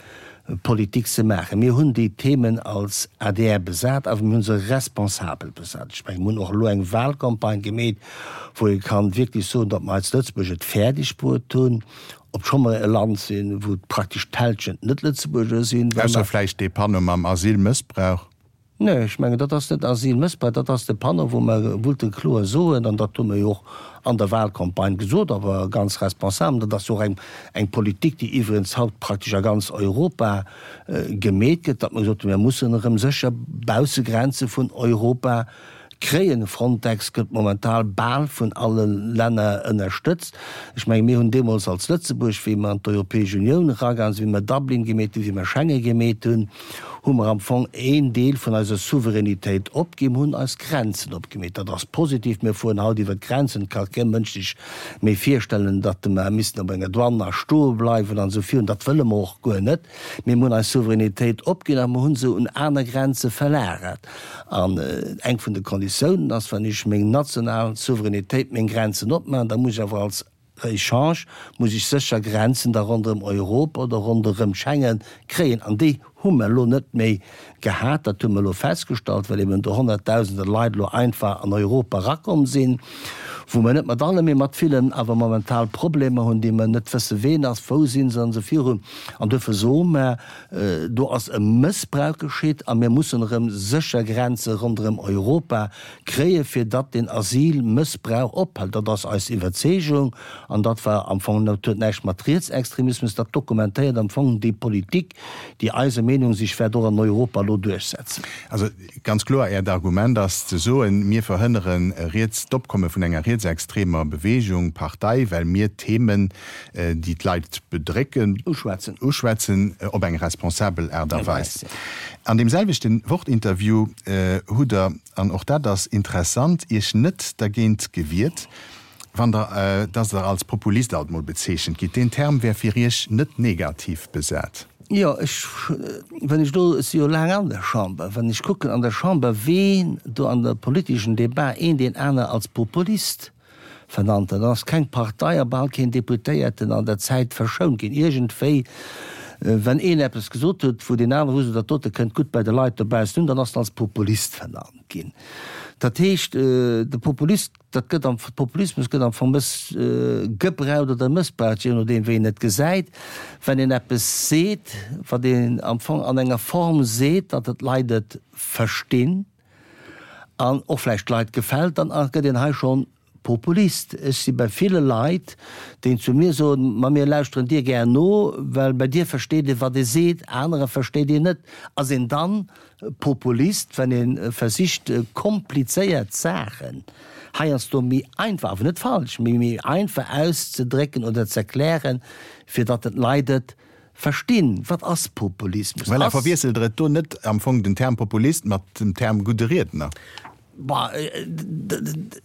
Politik ze maachen. Mir hunn déi Themen als adr besat, awer mir hu se responsabel besat. Ech mengen, mir hunn och elo eng Wahlcampagne gemeet, wou ee kann wierklech soen, datt mer hei zu Lëtzebuerg et fäerdeg bruet hunn, obscho mer e Land sinn, wou praktesch d'Hälschent Net-Lëtzebuerger sinn, well Ausser mer. vläicht dee Panneau mam Asylmëssbrauch. Nee, ech mengen, dat ass net Asylmëssbrauch, dat ass de Panneau, wou mer wollten kloer soen, an dat hu mer jo och an der Wahlcampagne gesot, awer ganz responsabel, dat ass jo och eng, eng Politik, déi iwwregens haut praktesch a ganz Europa gemeet gëtt, datt mer gesot hunn, mir mussen erëm sécher Baussegrenze vun Europa kréien. Frontex gëtt momental bal vun alle Länner ënnerstëtzt. Ech mengen, mir hunn deemools als Lëtzebuerg, wéi mer an d'Europäesch Unioun eragaange sinn, wéi mer Dublin gemeet hunn, wéi mer Schengen gemeet hunn, hu mer am Fong een Deel vun eiser Souveränitéit opginn, hunn eis Grenzen opgemeet. Dat ass positiv. Mir fueren haut iwwer d'Grenzen. Et ka kee Mënsch sech méi virstellen, datt mer missten op enger Douane nach stoe bleiwen an esou virun. Dat wëlle mer och guer net. Mee mir hunn eis Souveränitéit opginn a mer hu se un aner Grenze verlagert. An eng vun de Konditiounen ass, wann ech meng national Souveränitéit, meng Grenzen opmaachen, da muss ech awer als Echange muss ech sécher Grenzen da ronderëm Europa oder ronderëm Schengen kréien. An déi hu mer elo net méi gehat, dat hu mer elo festgestallt, well eben do Honnertdausende Leit elo einfach an Europa erakomm sinn, wou mer net mat alle, mee mat villen awer momental Problemer hunn, déi mer net wësse ween ass, wou sinn se an esou virun. An duerfir soe mer, do ass e Mëssbrauch geschitt a mir mussen erëm sécher Grenze ronderëm Europa kréien, fir datt deen Asylmëssbrauch ophält. Dat ass eis Iwwerzeegung an dat war am Fong, dat huet näischt mat Rietsextremismus, dat dokumentéiert am Fong déi Politik, déi eiser Meenung sich wäert och an Europa elo duerchsetzen. Also ganz kloer, Äert Argument ass ze soen, mir verhënnere riets d'Opkomme vun enger rietsextremer Bewegung, Partei, well mir Themen, déi d'Leit bedrécken, uschwätzen, uschwätzen op eng responsabel Aart a Weis. An deem selwechte Wort-Interview hutt Der, an och dat ass interessant, Iech net dergéint gewiert, wann Der, dass Der als Populist alt mol bezeechent gitt. Deen Term wär fir Iech net negativ besat. Jo, ech, wann ech do, ech si jo laang an der Chamber, wann ech kucken an der Chamber, ween do an der politeschen Debat een deen aner als Populist vernannt huet, dann ass keng Partei a bal keen Deputéierten an der Zäit verschount ginn. Iergendwéi, wann een eppes gesot huet, wou deen anere wusst, dat dote kënnt gutt bei de Leit dobaussen un, dann ass en als Populist vernannt ginn. Dat heescht, de Populist, dat gëtt am, Populismus gëtt am Fong mëss gebraucht oder mëssbraucht, jee nodeem wéi een et gesäit. Wann een eppes seet, wat een am Fong an enger Form seet, datt et d'Leit et verstinn an och vläicht d'Leit gefält, dann gëtt een hei schonn Populist. Ech si bei ville Leit, déi zu mir soen, ma mir lauschteren dir gär no, well bei dir versteet ee wat ee seet, anerer versteet een net. Ass een dann Populist, wann ee versicht komplizéiert Saachen heiansdo méi einfach, awer net falsch, mee méi einfach auszedrécken oder z'erklären, fir datt d'Leit et verstinn? Wat ass Populismus? Voilà, verwiesselt Der et do net am Fong den Term Populist mat dem Term gudde Riedner? Bah,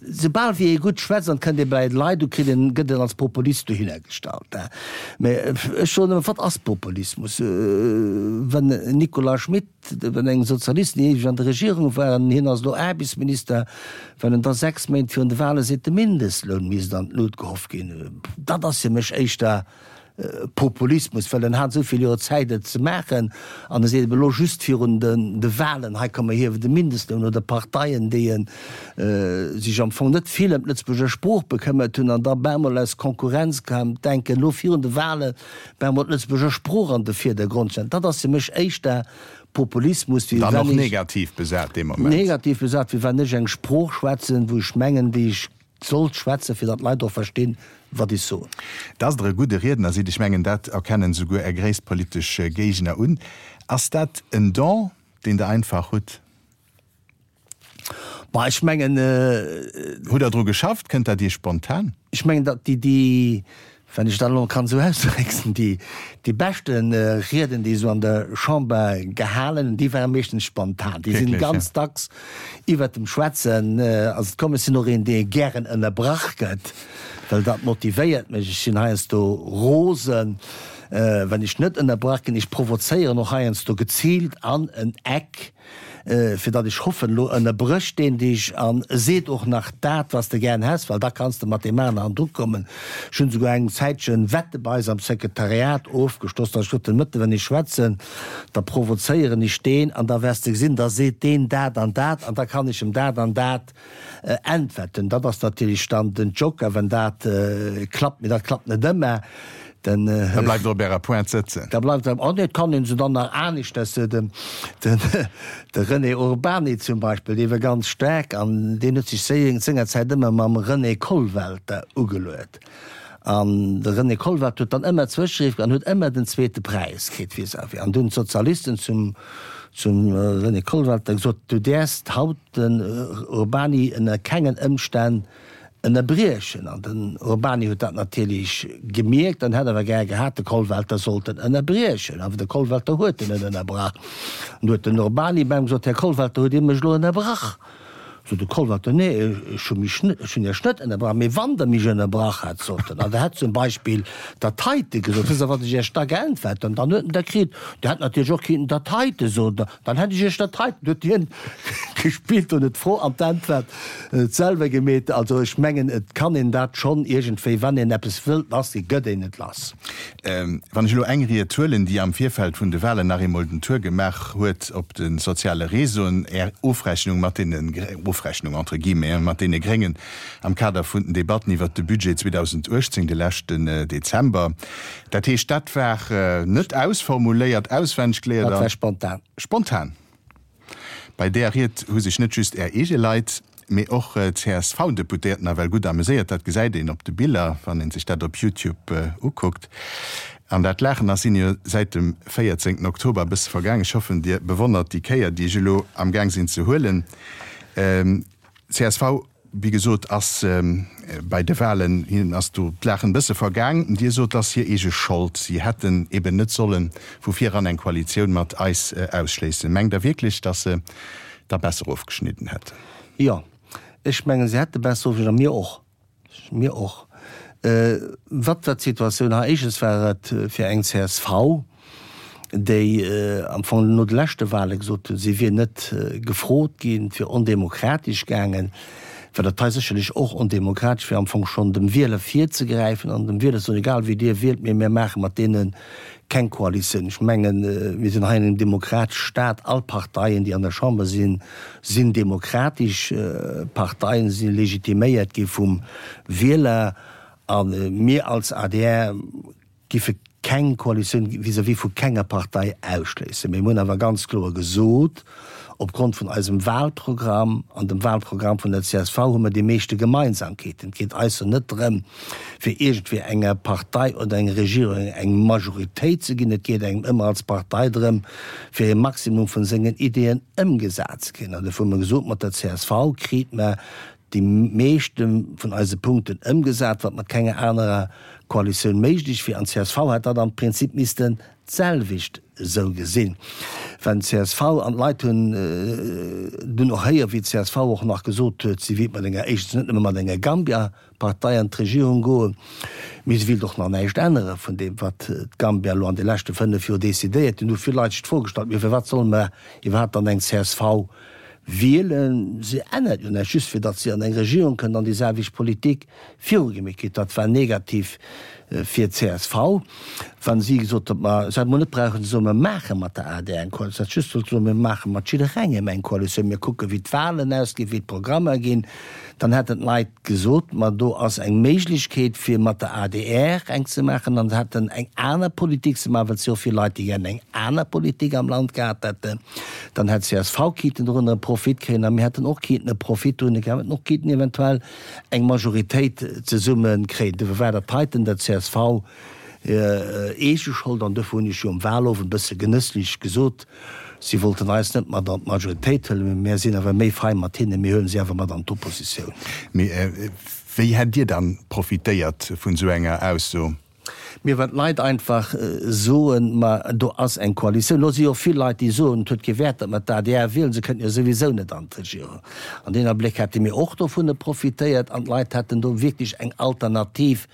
soubal wéi ee gutt schwätzt an kënnt ee bei d'Leit, du kritt een, gëtt een als Populist dohinner gestallt. Mä ech soen ëmmer, wat ass Populismus? Wenn Nicolas Schmit, wenn eng Sozialisten déi éiweg an der Regierung waren, hien ass elo Aarbechtsminister, wenn en da sechs Méint virun de Wale seet, de Mindestloun misst an d'Lut gehoff ginn, dat ass fir mech éischter Populismus, well en hat esou vill Joer Zäit et ze maachen an e seet elo just virun de Wahlen, hei komm mer hiewen de Mindestloun, oder Parteien, déi sech am Fong net vill ëm d'Lëtzebuerger Sprooch bekëmmert hunn an da bemol aus Konkurrenz denken, elo virun de Wahlen bemol d'Lëtzebuerger Sprooch an de Virdergrond stellen. Dat ass fir mech éischter Populismus, wéi Dann wann och ech. Negativ besat dee Moment. Negativ besat, wéi wann ech eng Sprooch schwätzen, wou ech mengen, déi ech sollt schwätzen, fir datt d'Leit och verstinn, wat ech soen. Dass Der e gudde Riedner sidd, ech mengen, dat erkennen souguer Är gréisst politesch Géigner un. Ass dat en Don, deen Der einfach hutt? Bah, ech mengen. Hutt Der dru geschafft? Kënnt dat Iech spontan? Ech mengen, datt déi, déi, wann ech dat elo kann esou ausdrécken, déi, déi beschte Rieden, déi esou an der Chamber gehalen hunn, déi ware meeschtens spontan. Déi sinn ganz dacks iwwert dem Schwätzen ass et komm. Ech sinn och een, dee gären ënnerbrach gëtt, well dat motivéiert mech. Ech sinn heiansdo rosen, wann ech net ënnerbrach ginn. Ech provozéieren och heiansdo geziilt an en Eck, fir datt ech hoffen, elo ënnerbrécht deen dech an seet och nach dat, wat s de gären häss, well da kanns de mat deem aneren an Druck kommen. Ech hunn esouguer eng Zäitchen Wette bei eis am Sekretariat ofgeschloss, datt ech gesot hunn, Mëtte wann ech schwätzen, da provozéieren ech deen an da wäers de gesinn, da seet deen dat an dat an da kann ech em dat an dat äntwerten. Dat ass natierlech dann den Joker, wann dat klappt, mee dat klappt net ëmmer. Den, Da bleift Der op Ärer Pointe sëtzen. Da bleift Der, oh nee, et kann een se dann nach aneschters, den, den, de René Urbany zum Beispill, dee war ganz staark an deen huet sech sengerzäit ëmmer mam René Kollwelter ugeluet. An de René Kollwelter huet dann ëmmer Zwëscheriff an huet ëmmer den zweete Präis kritt vis-à-vis. An du hunn d'Sozialisten zum, zum René Kollwelter gesot, Du däerfs haut den Urbany ënner kengen Ëmstänn ënnerbriechen. An den Urbany huet dat natierlech gemierkt an hätt awer gär gehat, de Kollwelter sollt en ënnerbriechen. Awer de Kollwelter huet en net ënnerbrach. An du huet den Urbany bei em gesot, Här Kollwelter, hutt Dir mech elo ënnerbrach? Sot de Kollwalter, Nee, ech hu mech net, ech hunn Iech net ënnerbrach, mee wann Der mech ënnerbrach hätt, sot en, an Der hätt zum Beispill dat heite gesot, wësst Der, wat ech Iech da geäntwert hunn? Dann huet en da kritt, Der hätt natierlech och kinnten dat heite soen, dann hätt ech Iech dat heiten, huet hien gespillt an huet d'Fro an d'Äntwert selwer gemeet. Also ech mengen, et kann een dat schonn iergendwéi, wann een eppes wëllt lassginn, gëtt een et lass. Wann ech elo eng Ried huelen, déi am Virfeld vun de Wahlen nach eemol den Tour gemaach huet op de soziale Réseauen, Är Ofrechnung mat deene, Ofrechnung entre guillemets, mat deene Gréngen am Kader vun den Debatten iwwert de Budget zweedausendachtzéng de leschten Dezember, dat heescht, dat war net ausformuléiert, auswenneg geléiert. Dat war spontan. Spontan. Bei där Ried hu sech net just Är eege Leit, mee och d'C S V-Deputéierten nawell gutt ameséiert. Dat gesäit een op de Biller, wann ee sech dat op YouTube ukuckt. An dat Laachen ass hinne jo säit dem véierzéngten Oktober e bësse vergaang. Ech hoffen, Dir bewonnert déi Kéier, déi ech elo amgaang sinn ze huelen. Csv, wéi gesot, ass bei de Wahlen, hinnen ass do d'Laachen e bësse vergaang. Dir sot, et ass hir eege Schold, si hätten eben net solle vu viran eng Koalitioun mat eis ausschléissen. Mengt Der wierklech, datt se da besser ofgeschnidden hätten? Jo, ech mengen, se hätte besser ofgeschnidden, a mir och. Mir och. Wat war d'Situatioun hei? Éischtens war et fir eng C S V, déi am Fong no de leschte Wahle gesot hunn, si wier net gefrot ginn, et wier ondemokratesch gaangen, war dat hei sécherlech och ondemokratesch, fir am Fong schonn dem Wieler virzegräifen an dem Wieler ze soen, egal wéi Dir wielt, mee mir maache mat deene keng Koalitioun. Ech mengen, mir sinn hei an engem demokratesche Staat. All Parteien, déi an der Chamber sinn, sinn demokratesch Parteien, si legitiméiert gi vum Wieler. A mir als A D R giffe keng Koalitioun vis-à-vis vu kenger Partei ausschléissen. Mee mir hunn awer ganz kloer gesot, Opgrond vun eisem Wahlprogramm an dem Wahlprogramm vun der C S V hu mer déi meeschte Gemeinsamkeeten. Et geet eis jo net drëm, fir iergendwéi enger Partei oder enger Regierung eng Majoritéit ze ginn. Et geet engem ëmmer als Partei drëm, fir e Maximum vun sengen Ideeën ëmgesat ze kréien. An dofir hu mer gesot, mat der C S V kriit mer déi meeschte vun eise Punkten ëmgesat, wat mat kenger anerer Koalitioun méiglech wier. An d'C S V hätt dat am Prinzip missten d'selwecht esou gesinn. Well d'C S V an d'Leit hunn dunn och héier, wéi d'C S V och nach gesot huet, si wéilt mat enger, éischtens net nëmme mat enger Gambia-Partei an d'Regierung goen, mee se wéilt och nach näischt ännere vun deem, wat d'Gambia elo an de leschte fënnef Joer decidéiert hunn. Hu vill Leit sech d'Fro gestallt, Mee firwat solle mer iwwerhaapt dann eng C S V wielen? Se ännert jo näischt, just fir datt si an eng Regierung kënnt an déi selwecht Politik virugemeet kritt. Dat war negativ fir d'C S V, wa si gesot huet, ma se hätt mol net brauchen ze soen, mer maache mat der A D R eng Koalitioun, se hätt just sollte soen, mir maache mat jidderengem eng Koalitioun, mir kucke wéi d'Wahlen ausginn, wéi d'Programmer ginn. Dann hätten d'Leit gesot, ma do ass eng Méiglechkeet fir mat der A D R eng ze maachen an se hätten eng aner Politik ze maachen, well et si jo vill Leit, déi gären eng aner Politik am Land gehat hätten. Dann hätt d'C S V kinnten dorunner e Profit kréien a mir hätten och kinnten e Profit dorunner kréien, mir hätten och kinnten eventuell eng Majoritéit zesumme kréien. Dofir war dat heiten der C S V eege Schold an dofir hunn ech jo um Wahlowend e bësse genësslech gesot, si wollten eis net mat an d'Majoritéit huelen, mee mär sinn awer méi fein mat hinnen, mir huelen si awer mat an d'Oppositioun. Mee wéi hätt Dir dann profitéiert vun esou enger Ausso? Mee wann d'Leit einfach soen, ma do ass eng Koalitioun, lo si jo vill Leit, déi soen, et huet kee Wäert, datt mer d'A D R wielen, se kënnten jo souwisou net an d'Regierung. An deen Abléck hätte mir och dovunner profitéiert an d'Leit hätten do wierklech eng Alternativ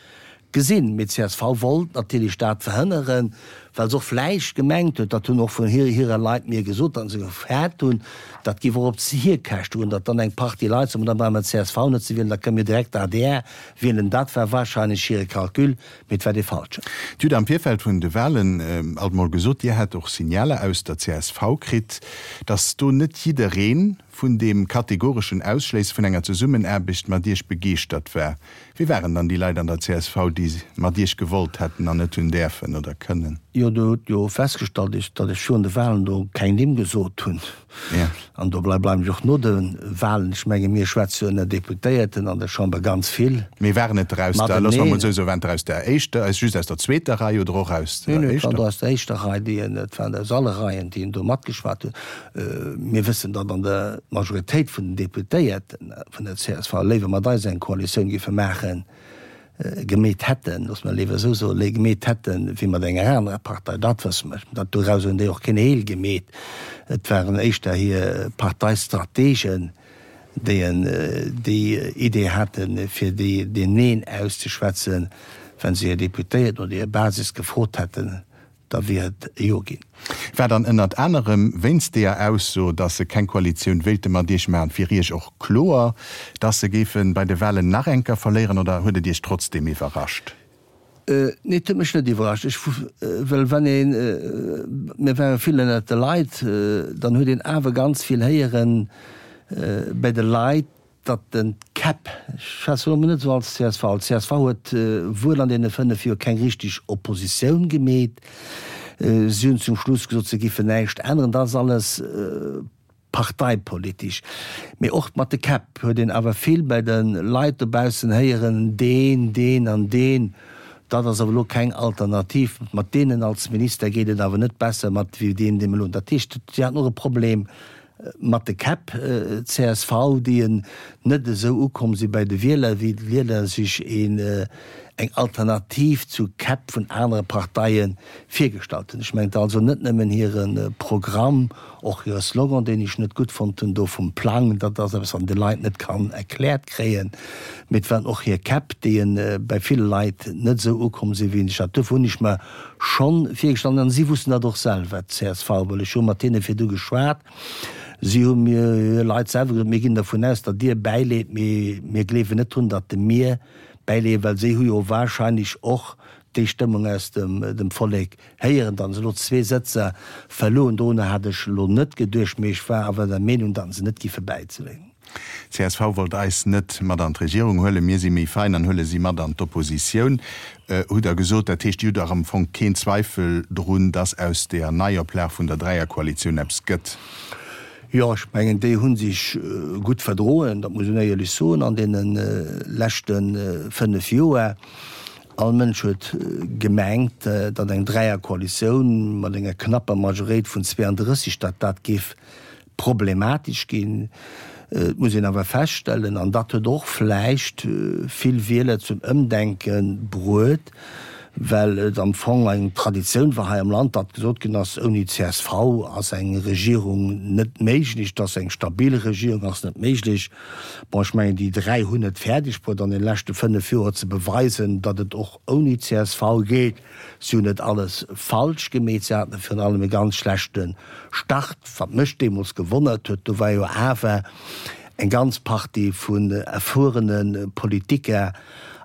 gesinn. Mee d'C S V wollt natierlech dat verhënneren, well se och vläicht gemengt huet, dat hunn och vun hire Leit mir gesot, datt se gefäert hunn, dat géif och op hir Käschte goen, datt dann eng Partie Leit soen, ma da brauche mer d'C S V net ze wielen, da kënne mir direkt d'A D R wielen. Dat war wahrscheinlech hire Calcul, mee et war dee falschen. Dir hutt am Virfeld vun de Wahlen alt mol gesot, Dir hätt och Signaler aus der C S V kritt, datt do net jidderee vun deem kategoreschen Ausschléisse vun enger Zesummenaarbecht mat Iech begeeschtert war. Wie waren dann déi Leit an der C S V, déi mat Iech gewollt hätten an net hunn däerfen oder kënnen? Jo, Der hutt jo festgestallt, datt ech virun de Wahlen do keng Nimm gesot hunn. An dobei bleiwen ech och no de Wahlen. Ech menge mir schwätze jo ënner Deputéierten an der Chamber ganz vill. Mee waren et der aus der, loosse mer emol esou soen, waren et der aus der éischter, just aus der zweeter Rei oder och aus der éischter? Nee, nee, et waren der aus der éischter Rei, déi, et waren der aus alle Reien, déi do matgeschwat hunn. Mir wëssen, datt an der d'Majoritéit vun den Deputéierten vun der C S V léiwer mat eis eng Koalitioun géife maachen, gemeet hätten, loosse mer léiwer esou soen, gemeet hätten, wéi mat enger anerer Partei. Dat wësse mer. Dat doraus hunn déi och keen Heel gemeet. Et waren éischter hir Parteistrategen, déi en déi Idee haten, fir déi deen Neen auszeschwätzen. Wa se hir Deputéierten oder hir Basis gefrot hätten, da wier et e Jo ginn. War dann ënnert anerem wéinst deeër Ausso, datt se keng Koalitioun wéilte mat Iech maachen, fir Iech och kloer, datt se géife bei de Wahlen nach eng Kéier verléieren, oder huet et Iech trotzdeem iwwerrascht? Nee, et huet mech net iwwerrascht. Ech, well wann een, mir ware vill ënnert de Leit, dann huet een awer ganz vill héieren bei de Leit, datt den d'Käpp, ech schwätzen elo mol net esou als csv, d'CSV huet wuel an deene fënnef Joer keng richteg Oppositioun gemeet, si hunn zum Schluss gesot, se giffen näischt änneren, dat ass alles parteipolitesch. Mee och mat de Käpp huet een awer vill bei de Leit dobaussen héieren, deen, deen an deen, dat ass awer elo keng Alternativ, mat deenen als Minister geet et awer net besser mat wéi deem, dee mer elo hunn. Dat heescht, si haten och e Problem mat de Käpp, csv, déi en net esou ukomm si bei de Wieler, wéi d'Wieler sech een eng Alternativ zu Käpp vun anere Parteie virgestallt hunn. Ech mengen also net nëmmen hire Programm, och hire Slogan, deen ech net gutt fonnt hunn do vum Plang, dat ass eppes, wat een de Leit net kann erkläert kréien, mee et waren och hir Käpp, déi bei ville Leit net esou ukomm sinn, wéi een sech dat. Dofir hunn ech mer schonn virgestallt, an si wussten dat och selwer, d'CSV, well ech hu mat hinne virdu geschwat, si hu mir, hir Leit selwer gesot, mir ginn dervun aus, datt Dir bäileet, mee mir gleewen net drun, datt mir bäileeën, well si hu jo wahrscheinlech och déi Stëmmung aus dem Vollek héieren. Datt se elo zwee Sëtzer verluer hunn, dorunner hat ech elo net geduecht, mee ech war awer der Meenung, datt se net giffe bäizeleeën. Csv wollt eis net mat an d'Regierung huelen, mir si méi fein an huele si mat an d'Oppositioun, hutt Der gesot. Dat heescht, Dir hutt dach am Fong keen Zweifel drun, datt aus deeër Neioplag vun der Dräierkoalitioun eppes gëtt? Jo, ech mengen, déi hu sech gutt verdroen, dat muss een éierlech soen, an deene leschte fënnef Joer. All Mënsch huet gemengt, datt eng Dräierkoalitioun mat enger knapper Majoréit vun zweeandrësseg, datt dat géif problematesch ginn. Et muss een awer feststellen, an dat huet och vläicht vill Wieler zum Ëmdenke bruet, well et am Fong eng Traditioun war hei am Land, datt gesot ginn ass, ouni csv ass eng Regierung net méiglech, datt eng stabil Regierung ass net méiglech. Bon, ech mengen, déi dräi hunn et fäerdeg bruet an de leschte fënnef Joer ze beweisen, datt et och ouni csv geet. Si hunn net alles falsch gemeet, si haten virun allem e ganz schlechte Start, wat mech deemools gewonnert huet. Do war jo awer eng ganz Partie vun erfuerene Politiker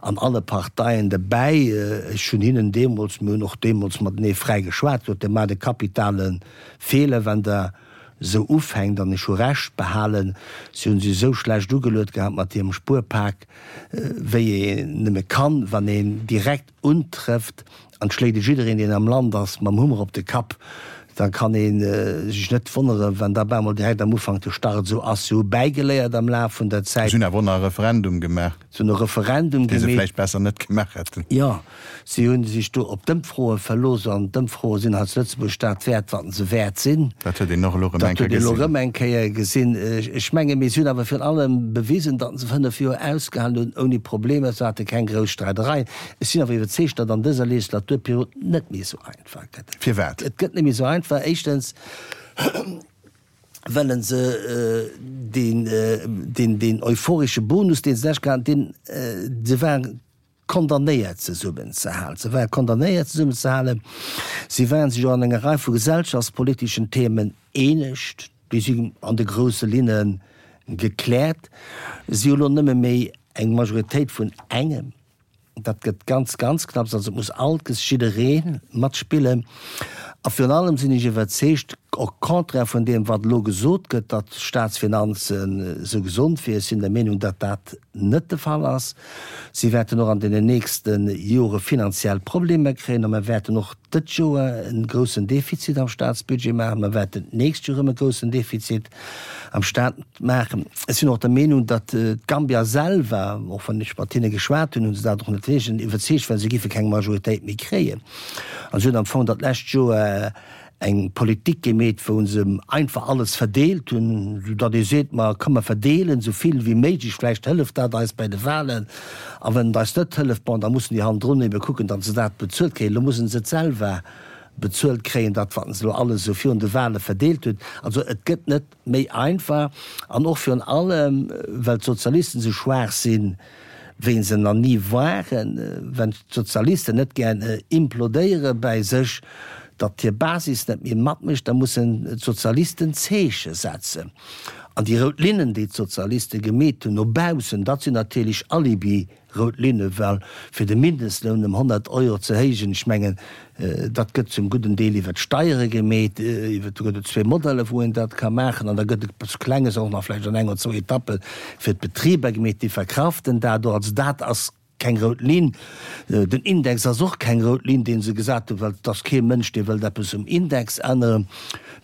an alle Parteien derbäi. Ech hunn hinnen deemools, mir hunn och deemools matenee fräi geschwat, gesot, Dir maacht e kapitale Feeler, wann Der esou ufänkt. An ech hu Recht behalen. Si hunn sech esou schlecht ugeluet gehat mat hirem Spuerpak, wéi een nëmme kann, wann een direkt untrëfft an et schléit e jiddereen, deen am Land ass, mam Hummer op de Kapp, da kann ee sech net wonneren, wann da bemol direkt am Ufank de Start esou ass. Si hu bäigeléiert am Laf vun der Zäit. Si hunn awer och nach e Referendum gemaach. Si hunn e Referendum gemaach. Dee se vläicht besser net gemaach hätten. Jo, si hu sech do op d'Ëmfroe verlooss an d'Ëmfroe sinn hei zu Lëtzebuerg dat wäert, wat se wäert sinn. Dat huet een och elo erëm eng Kéier gesinn. Dat huet een elo erëm eng Kéier gesinn. Ech menge mir, si hunn awer virun allem bewisen, datt se fënnef Joer ausgehalen hunn ouni Problemer. Se hate keng grouss Streidereien. Ech sinn awer iwwerzeegt, datt an dëser Legislaturperiod net méi esou einfach gëtt. Firwat? Et gëtt net méi esou einfach. Éischtens wëlle se deen, deen, deen euphoresche Bonus, deen se lech haten, deen, se waren condamnéiert zesummenzehalen. Se waren condamnéiert zesummenzehalen. Si waren sech och an enger Rei vu gesellschaftspoliteschen Themen eenegt. Déi sinn an de grousse Linne gekläert. Si hu lo nëmme méi eng Majoritéit vun engem. Dat gëtt ganz, ganz knapps. Also et muss alt jidderee matspillen. A virun allem sinn ech iwwerzeegt, au contraire vun deem, wat elo gesot gëtt, datt d'Staatsfinanzen esou gesond wieren, ech sinn der Meenung, datt dat net de Fall ass. Si wäerten och an deenen nächste Jore finanziell Problemer kréien a mer wäerten och dët Joer e groussen Defizit am Staatsbudget maachen. Mer wäerten d'nächst Joer erëm e groussen Defizit am Staat maachen. Ech sinn och der Meenung, datt d'Gambier selwer, och wann ech mat hinne geschwat hunn, hu se dat och net héijen, iwwerzeegt waren, se géife keng Majoritéit méi kréien. An se hunn am Fong dat lescht Joer eng Politik gemeet, wou se einfach alles verdeelt hunn, soudatt ee seet, ma komm mer verdeelen esou vill wéi méiglech, vläicht hëlleft dat eis bei de Wahlen. A wann et eis net hëlleft, bon, da mussen déi hannendrun ebe kucken, datt se dat bezuelt kréien. Elo mussen se et selwer bezuelt kréien, dat wat se elo alles esou virun de Wahle verdeelt hunn. Also et gëtt net méi einfach an och virun allem, well d'Sozialisten esou schwaach sinn, wéi se nach ni waren, wenn d'Sozialisten net gär implodéiere bäi sech, datt hir Basis net méi matmécht, da mussen d'Sozialisten Zeeche setzen. An déi rout Linnen, déi d'Sozialiste gemeet hunn no baussen, dat sinn natierlech Alibi-rout Linne, well fir de Mindestloun ëm honnert Euro ze héijen, ech mengen, dat gëtt zum gudden Deel iwwer d'Steiere gemeet, iwwer, do gëtt et zwee Modeller, wou een dat ka maachen, an da gëtt et eppes Klenges och nach vläicht an eng oder zwou Etappe fir d'Betriber gemeet, déi verkraften dat do. Also dat ass keng rout Linn. Den Index ass och keng rout Linn, dee se gesat hunn, well et ass kee Mënsch, dee wëllt eppes um Index änneren.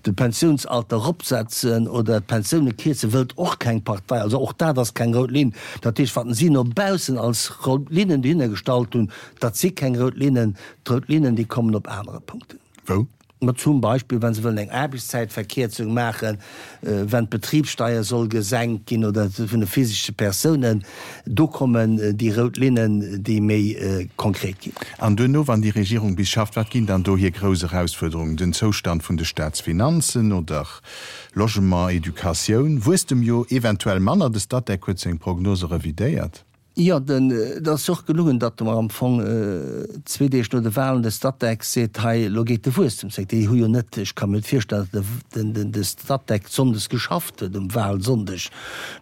De Pensiounsalter eropsetzen oder d'Pensioune kierze wëllt och keng Partei. Also och dat ass keng rout Linn. Dat heescht, wat si no baussen als rout Linnen dohinner gestallt hunn, dat si keng rout Linnen. D'rout Linnen, déi kommen op anere Punkten. Wou? Ma zum Beispill, wa se wëllen eng Aarbechtszäitverkierzung maachen, wenn d'Betribssteier soll gesenkt ginn oder vun de physesche Persounen, do kommen déi rout Linnen, déi méi konkret ginn. An duerno, wann déi Regierung bis schafft, wat ginn dann do hir grouss Erausfuerderungen? Den Zoustand vun de Staatsfinanzen oder Logement, Educatioun? Wuesstem jo eventuell manner, de Statec huet seng Prognose revidéiert. Jo, den, et ass och gelungen, datt mer am Fong zwee Deeg no de Wahlen de Statec seet, hei elo geet de Wuesstem zréck. Déi hu jo net, ech ka mir net virstellen, datt den, den, de Statec sonndes geschafft huet, um Wahlsonndeg.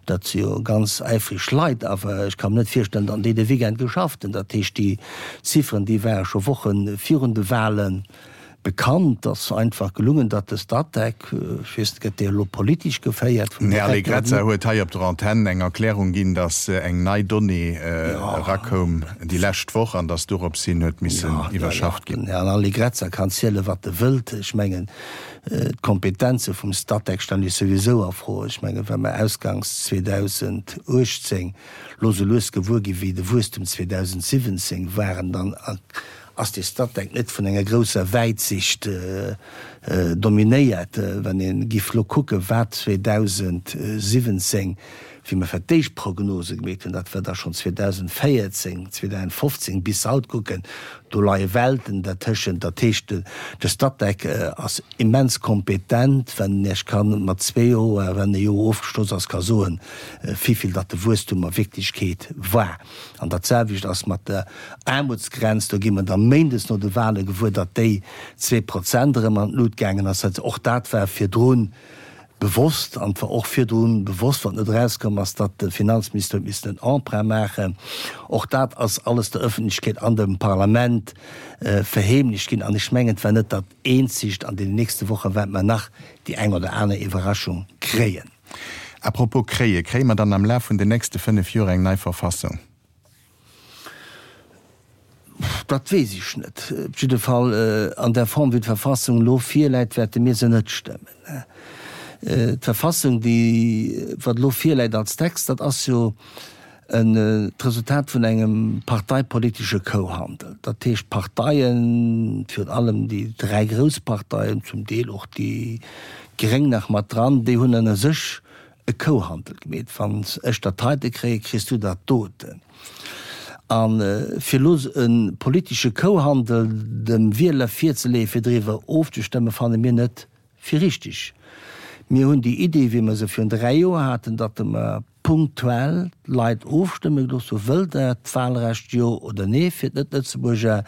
Dat si jo ganz äifreg Leit, awer ech ka mir net virstellen, datt déi de Weekend geschafft hunn. Dat heescht, déi Zifferen, déi ware scho Woche virun de Wahlen Bekannt ass einfach gelungen, datt de Statec, ech weess net, gëtt dee elo politesch geféiert vum Den Här Allegrezza huet hei op der Antenn eng Erklärung ginn, datt eng nei Donnée erakoum déi lescht Woch an datt dorops hin huet missen iwwerschafft ginn. Den Här Allegrezza kann ziele wat e wëllt. Ech mengen, d'Kompetenze vum Statec stellen ech souwisou a Fro. Ech mengen, wa mer ausganks zweedausenduechtzéng lo sou lues gewuer ginn, wéi de Wuesstem zweedausensiwwenzéng war, dann ass dee Statec net vun enger grousser Wäitsicht dominéiert. Wann ee giff lo kucken, wat zweedausensiwwenzéng, wéi mer fir d'éischt Prognose gemeet hunn, dat war da schonn zweedausendvéierzéng, zweedausendfofzéng, bis haut kucken, do leie Welten dertëschent. Dat heescht, de Statec ass immens kompetent, wann en Iech ka mat zwee Joer, wann e Joer ofgeschloss ass, ka soen, wivill datt de Wuesstum a Wierklechkeet war. An dat selwecht ass mat der Aarmutsgrenz. Do gi mer da méindes no de Wahle gewuer, datt déi zwee Prozent erëm an d'Lut gaangen ass. Och dat war virdru bewosst an et war och virdru bewosst, wat net erauskomm ass, datt de Finanzminister huet missen en Emprunt maachen. Och dat ass alles der Öffentlechkeet an dem Parlament verheemlecht ginn. An ech mengen, et war net dat eenzegt. An deenen nächste Woche wäerte mer nach déi eng oder aner Iwwerraschung kréien. À propos kréien, Kréie mer dann am Laf vun den nächste fënnef Joer eng nei Verfassung? Dat weess ech net. Op jidde Fall, an där Form, wéi d'Verfassung elo virläit, wäerte mir se net stëmmen. D'Verfassung, déi wat elo virläit als Text, dat ass jo d'Resultat vun engem parteipolitesche Kouhandel. Dat heescht, d'Parteien, virun allem déi dräi grouss Parteien, zum Deel och déi Gréng nach mat dran, déi hunn ënner sech e Kouhandel gemeet, Wann ech dat heite kréien, kriss du dat doten. A fir elo e politesche Kouhandel dem Wieler virzeleeën, fir driwwer ofzestëmmen, fanne mir net fir richtig. Mir hunn déi Idee, wéi mer se virun dräi Joer haten, datt mer punktuell d'Leit ofstëmme gelooss hunn, Wëllt Der d'Wahlrecht, jo oder nee, fir d'Net-Lëtzebuerger?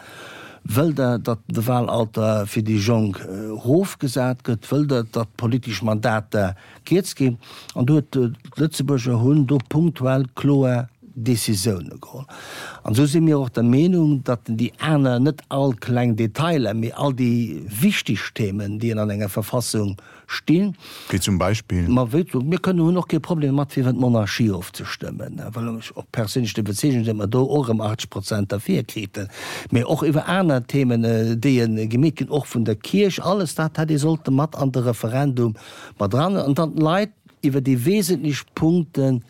Wëllt Der, datt de Wahlalter fir déi Jonk erofgesat gëtt? Wëllt Der, datt d'politesch Mandater kierz ginn? An do huet d'Lëtzebuerger hunn do punktuell kloer Decisioune geholl. An esou si mir och der Meenung, datt déi aner, net all kleng Detailer, mee all déi wichteg Themen, déi an enger Verfassung stinn. Wéi zum Beispill? Ma wéi zum, mir kënnen, hunn och kee Problem domat, fir iwwer d'Monarchie ofzestëmmen, well ech och perséinlech der Iwwerzeegung sinn, datt mer do och erëm achtzeg Prozent derfir kriten, mee och iwwer aner Themen, déi gemeet ginn, och vun der Kierch, alles dat hätt ee sollte mat an de Referendum mat eran an dann d'Leit iwwer déi wesentlech Punkten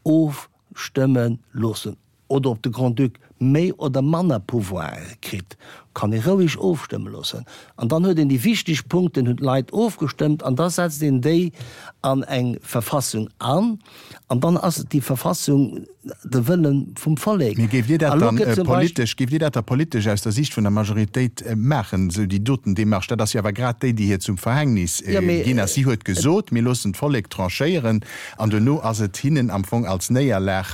ofstëmme loossen. Oder ob de Grand-Duc méi oder manner Pouvoire kritt. Kann ee roueg ofstëmme loossen. An dann huet een déi wichteg Punkten, hunn d'Leit ofgestëmmt an da setzt een déi an eng Verfassung an an dann ass déi Verfassung de Wëlle vum Vollek. Mee géift Dir dat dann politesch, géift Dir dat da politesch aus der Siicht vun der Majoritéit maachen, esou déi doten Démarche? Dat ass jo awer grad déi, déi hir zum Verhängnis ginn ass. Si huet gesot, mir loossen d'Vollek tranchéieren an duerno ass et hinnen am Fong als Néierlag,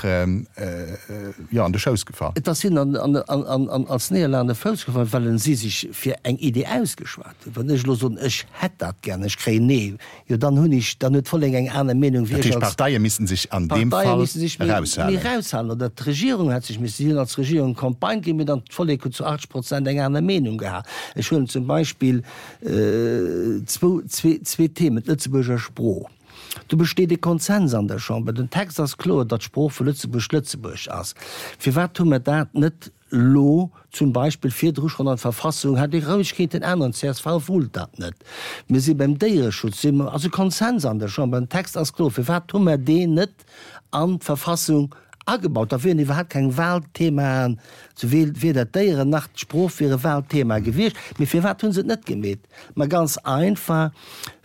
jo, an de Schouss gefall. Et ass hinnen als Néierlag an de Fouss gefall, well si sech fir eng Idee ausgeschwat hunn. Wann ech elo soen, ech hätt dat gär, ech kréien Nee, jo dann hunn ech, dann huet d'Vollek eng aner Meenung wéi Dat ech heescht, als. d'Parteie missten sech an deem D'Parteie Fall misste sech méi, méi eraushalen. eraushalen oder d'Regierung hätt sech missen, si hunn als Regierung Campagne gemaach, mee dann d'Vollek huet zu achtzeg Prozent eng aner Meenung gehat. Ech huelen zum Beispill zwou, zwee, zwee Themen, d'Lëtzebuerger Sprooch. Do besteet e Konsens an der Chamber. Den Text ass kloer, datt d'Sprooch vu Lëtzebuerg Lëtzebuergesch ass. Firwat hu mer dat net elo zum Beispill virdru schonn an d'Verfassung? Hätt ee roueg kéinten änneren. D'CSV wollt dat net. Mir si beim Déiereschutz, si mer, ass e Konsens an der Chamber. Den Text ass kloer. Firwat hu mer deen net an d'Verfassung agebaut? Da wieren iwwerhaapt keng Wahlthemaen, souwuel weder d'Déieren nach d'Sprooch wiere Wahlthema gewiescht. Mee firwat hu se et net gemeet? Ma ganz einfach,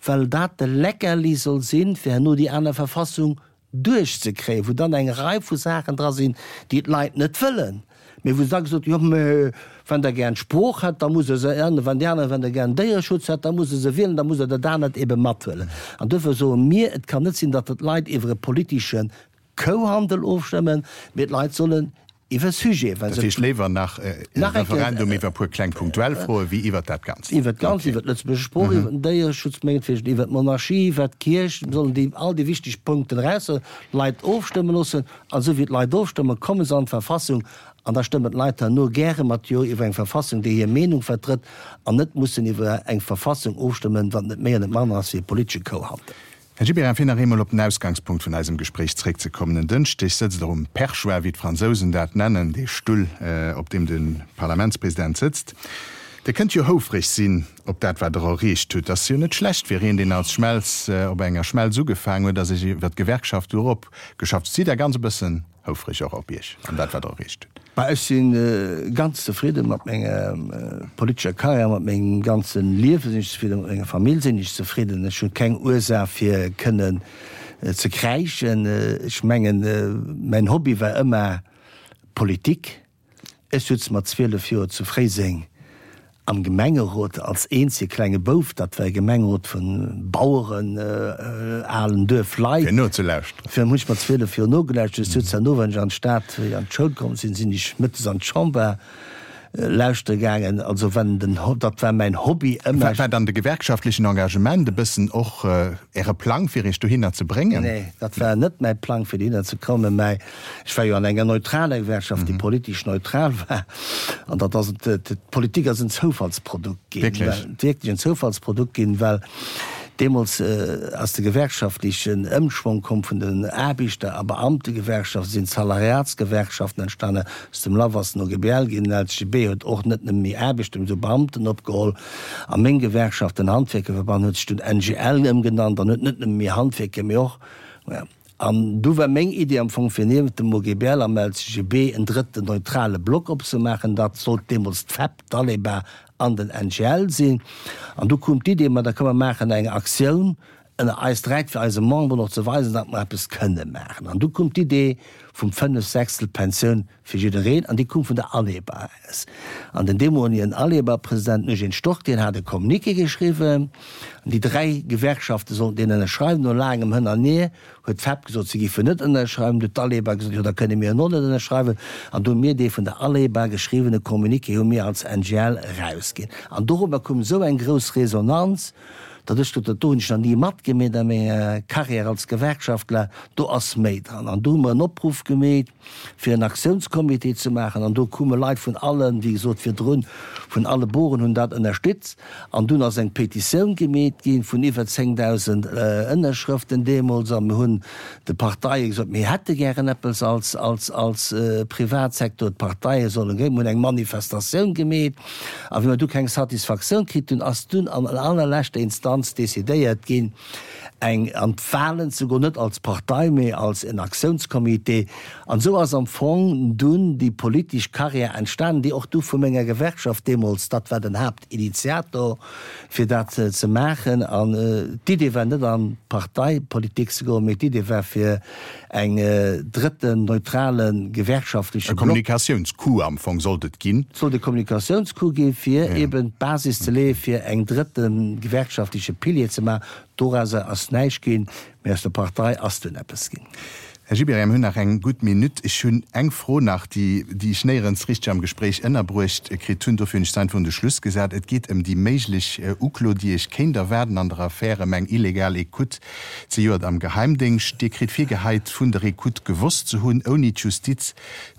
well dat de Leckerli soll sinn, fir herno déi aner Verfassung duerchzekréien, wou dann eng Rei vu Saachen dra sinn, déi d'Leit net wëllen, mee wou se da gesot hunn, jo, mä wann Der gären d'Sprooch hätt, da musst Der se änneren, wann déi aner, wann Der gären Déiereschutz hätt, da musst Der se wielen, da musst Der dat anert ebe mathuelen. An duerfir soe mir, et kann net sinn, datt d'Leit iwwer e politesche Kouhandel ofstëmmen, mee d'Leit sollen iwwer Sujete, well Dat se. heescht, léiwer nach e Nach eng Kéier. Referendum iwwer e puer kleng punktuell Froe wéi iwwer dat Ganzt. Iwwer d'Ganzt, Okay. iwwer d'Lëtzebuerger Sprooch, iwwer den Déiereschutz mengetwegen, iwwer d'Monarchie, iwwer d'Kierch, sollen déi all déi wichteg Punkten eraus, d'Leit ofstëmme loossen. An esou wéi d'Leit ofstëmmen, komme se an d'Verfassung an da stëmmen d'Leit herno gäre mat Jo iwwer eng Verfassung, déi hir Meenung vertrëtt, an net mussen iwwer eng Verfassung ofstëmmen, wat net méi an net manner ass wéi e politesche Kouhandel. Här Gibéryen, fir nach eemol op den Ausgangspunkt vun eisem Gespréich zréckzekommen, En Dënschdeg sëtzt Der um Perchoir, wéi d'Fransousen dat nennen, dee Stull, op deem de Parlamentspresident sëtzt. Dir kënnt jo houfreg sinn op dat, wat Der erreecht hutt. Ass jo net schlecht fir een, deen als Schmelz op enger Schmelz ugefaangen huet a sech iwwer d'Gewerkschaft do eropgeschafft huet. Sidd Der ganz e bëssen houfreg och op Iech an dat, wat Der erreecht hutt? Bah, ech si ganz zefridde mat menger politescher Karriär, mat mengem ganze Liewe sinn ech zefridden, mat menger Famill sinn ech zefridden. Ech hunn keng Ursaach fir kënnen ze kräischen. Ech mengen, mäin Hobby war ëmmer Politik. Ech sutz mat zwielef Joer zu Fréiseng am Gemengerot als eenzege klenge Bouf. Dat war e Gemengerot vu Baueren, alen Duerfleit. Fir nozelauschteren. Fir hunn ech mat zwielef Joer nogelauschtert. Ech sutz herno, wann ech an d'Stad, wéi ech an d'Schoul komm sinn, sinn ech mëttes an d'Chamber lauschtere gaangen. Also wenn den, dat war mäin Hobby ëmmer. War dann de gewerkschaftlechen Engagement e bëssen och Äre Plang, fir Iech dohinner ze bréngen? Nee, dat war net mäi Plang, fir dohinner ze kommen, mä ech war jo an enger neutraler Gewerkschaft, déi politesch neutral war. An dat ass, d'Politik ass en Zoufallsprodukt ginn. Wierklech? Wierklech en Zoufallsprodukt ginn, well deemools ass de gewerkschaftlechen Ëmschwong komm vun den Aarbechter a Beamtegewerkschaften, sinn d'Salariatsgewerkschaften entstanen, aus dem LAF ass den OGBL ginn, den LCGB huet och net nëmme méi Aarbechter, mee esou Beamten opgeholl. A meng Gewerkschaft, den Handwierkerverband, huet sech dunn NGL ëmgenannt an huet net nëmme méi Handwierker, mee och, An du war meng Iddi am Fong, fir niewent dem OGBL am LCGB en drëtten neutrale Block opzemaachen. Dat sollt deemools d'FEP, d'Aleba an den NGL sinn. An du koum d'Iddi, ma da komm mer maachen eng Aktioun ënner eis dräi, fir eise Memberen och ze weisen, datt mer eppes kënne maachen. An du koum d'Idee vum fënnef Sechstel Pensioun fir jiddereen, an déi koum vun der Aleba aus. An den deemoligen Aleba-President, den Eugène Stork, deen hat e Communiqué geschriwwen, an déi dräi Gewerkschafte sollten deen ënnerschreiwen. No laangem Hënn an Hier huet d'FEP gesot, si géifen net ënnerschreiwen, du huet d'Aleba gesot, jo da kënne mir en och net ënnerschreiwen. An du hu mir dee vun der Aleba geschriwwene Communiqué hu mir als NGL erausginn. An dorobber koum esou eng grouss Resonanz, datt ech gesot hunn, dat do hunn ech nach ni matgemeet a menger Carrière als Gewerkschaftler, do ass méi dran. An du hu mer en Opruff gemeet, fir en Aktiounscomité ze maachen. An do koume Leit vun allen, wéi gesot virdrun, vun alle Boren hunn dat ënnerstützt. An dunn ass eng Petitioun gemeet ginn vun iwwer zéngdausend Ënnerschrëften deemools. A mir hunn de Parteie gesot, mir hätte gären eppes als, als, als Privatsektor, d'Parteie sollen gréng. Mir hunn eng Manifestatioun gemeet. A wéi mer du keng Satisfaktioun kritt hunn, ass dunn an allerleschter Instanz Instanz decidéiert ginn, eng an d'Wahlen ze goen, net als Partei, mee als en Aktiounscomité. An esou ass am Fong dunn déi politesch Carrière entstanen, déi och du vu menger Gewerkschaft deemools, dat war den Haaptinitiator, fir dat ze maachen. An d'Idee war net an d'Parteipolitik ze goen, mee d'Idee war fir eng drëtten neutrale gewerkschaftleche E Block. Kommunikatiounscoup am Fong sollt et ginn. Et sollt e Kommunikatiounscoup ginn, fir eben d'Basis ze leeë fir eng drëtte gewerkschaftleche Pilier ze maachen. Dorauser ass näischt ginn, mee aus der Partei ass dunn eppes ginn. Här Gibéryen, mir hunn nach eng gutt Minutt. Ech hunn eng Fro nach, déi, déi ech néierens richteg am Gespréich ënnerbruecht kritt hunn. Dofir hunn ech se einfach un de Schluss gesat. Et geet ëm déi méiglech Uklo, déi Iech kéint erwaarden an der Affär ëm eng illegal Ecoute zejoert am Geheimdéngscht. Dir kritt virgeheit, vun der Ecoute gewosst ze hunn, ouni d'Justiz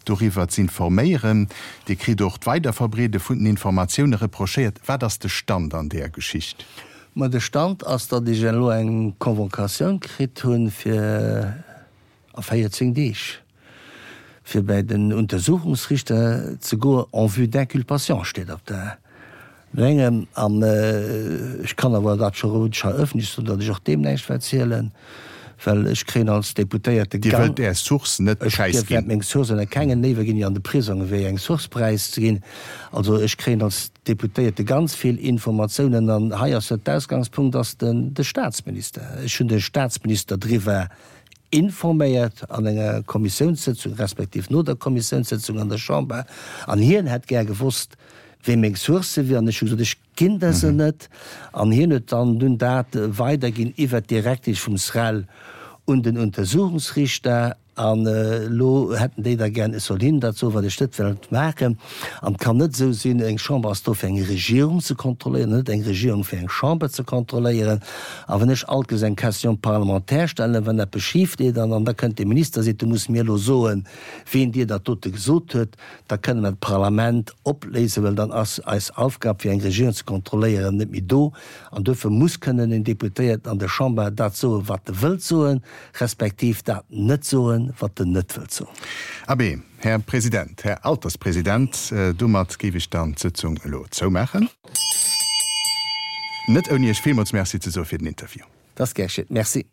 doriwwer z'informéieren. Dir kritt och d'Weiderverbreede vun den Informatioune reprochéiert. Wat ass de Stand an där Geschicht? Ma de Stand ass, datt ech elo eng Convocatioun kritt hunn, fir a véierzéng Deeg, fir bäi den Untersuchungsrichter ze goen, en vue d'inculpation steet op der Dengem. An ech kann awer dat scho roueg hei ëffentlech soen, datt ech och deem näischt wäert zielen, well ech kréien als Deputéierte Dir wëllt Är Source net Ech präisginn? wäert meng Source ënner kengen, léiwer ginn ech an de Prisong ewéi eng Source präiszeginn. Also ech kréien als Deputéierte ganz vill Informatiounen an hei ass jo d'Ausgangspunkt ass den de Staatsminister. Ech hunn de Staatsminister driwwer informéiert an enger Kommissiounssëtzung, respektiv no der Kommissiounssëtzung an der Chamber, an hien hätt gär gewosst, wee meng Sourcë wier, an ech hu gesot, ech ginn der se net, an hien huet dann dunn dat weiderginn iwwert d'Direktesch vum SREL un den Untersuchungsriichter. An elo hätten déi da gär, ech soll hinnen dat soen, wat ech net wëllt maachen. An et kann net esou sinn, eng Chamber ass do fir eng Regierung ze kontrolléieren, net eng Regierung fir eng Chamber ze kontrolléieren. A wann ech alt ges eng Question parlementaire stellen, wann eppes schif geet, an da kënnt de Minister a seet, du muss mir elo soen, ween dir dat dote gesot huet, da kënne mer d'Parlament opléisen, well dann ass eis Aufgab, fir eng Regierung ze kontrolléieren, net méi do. An duerfir muss kënnen en Deputéierten an der Chamber dat soen, wat e wëllt soen, respektiv dat net soen, wat en net wëllt soen. Abee, Här President, Här Alterspresident, domat géif ech dann d'Sëtzung elo zoumaachen. Net ouni Iech villmools Merci ze soe fir den Interview. Dat ass gär geschitt. Merci.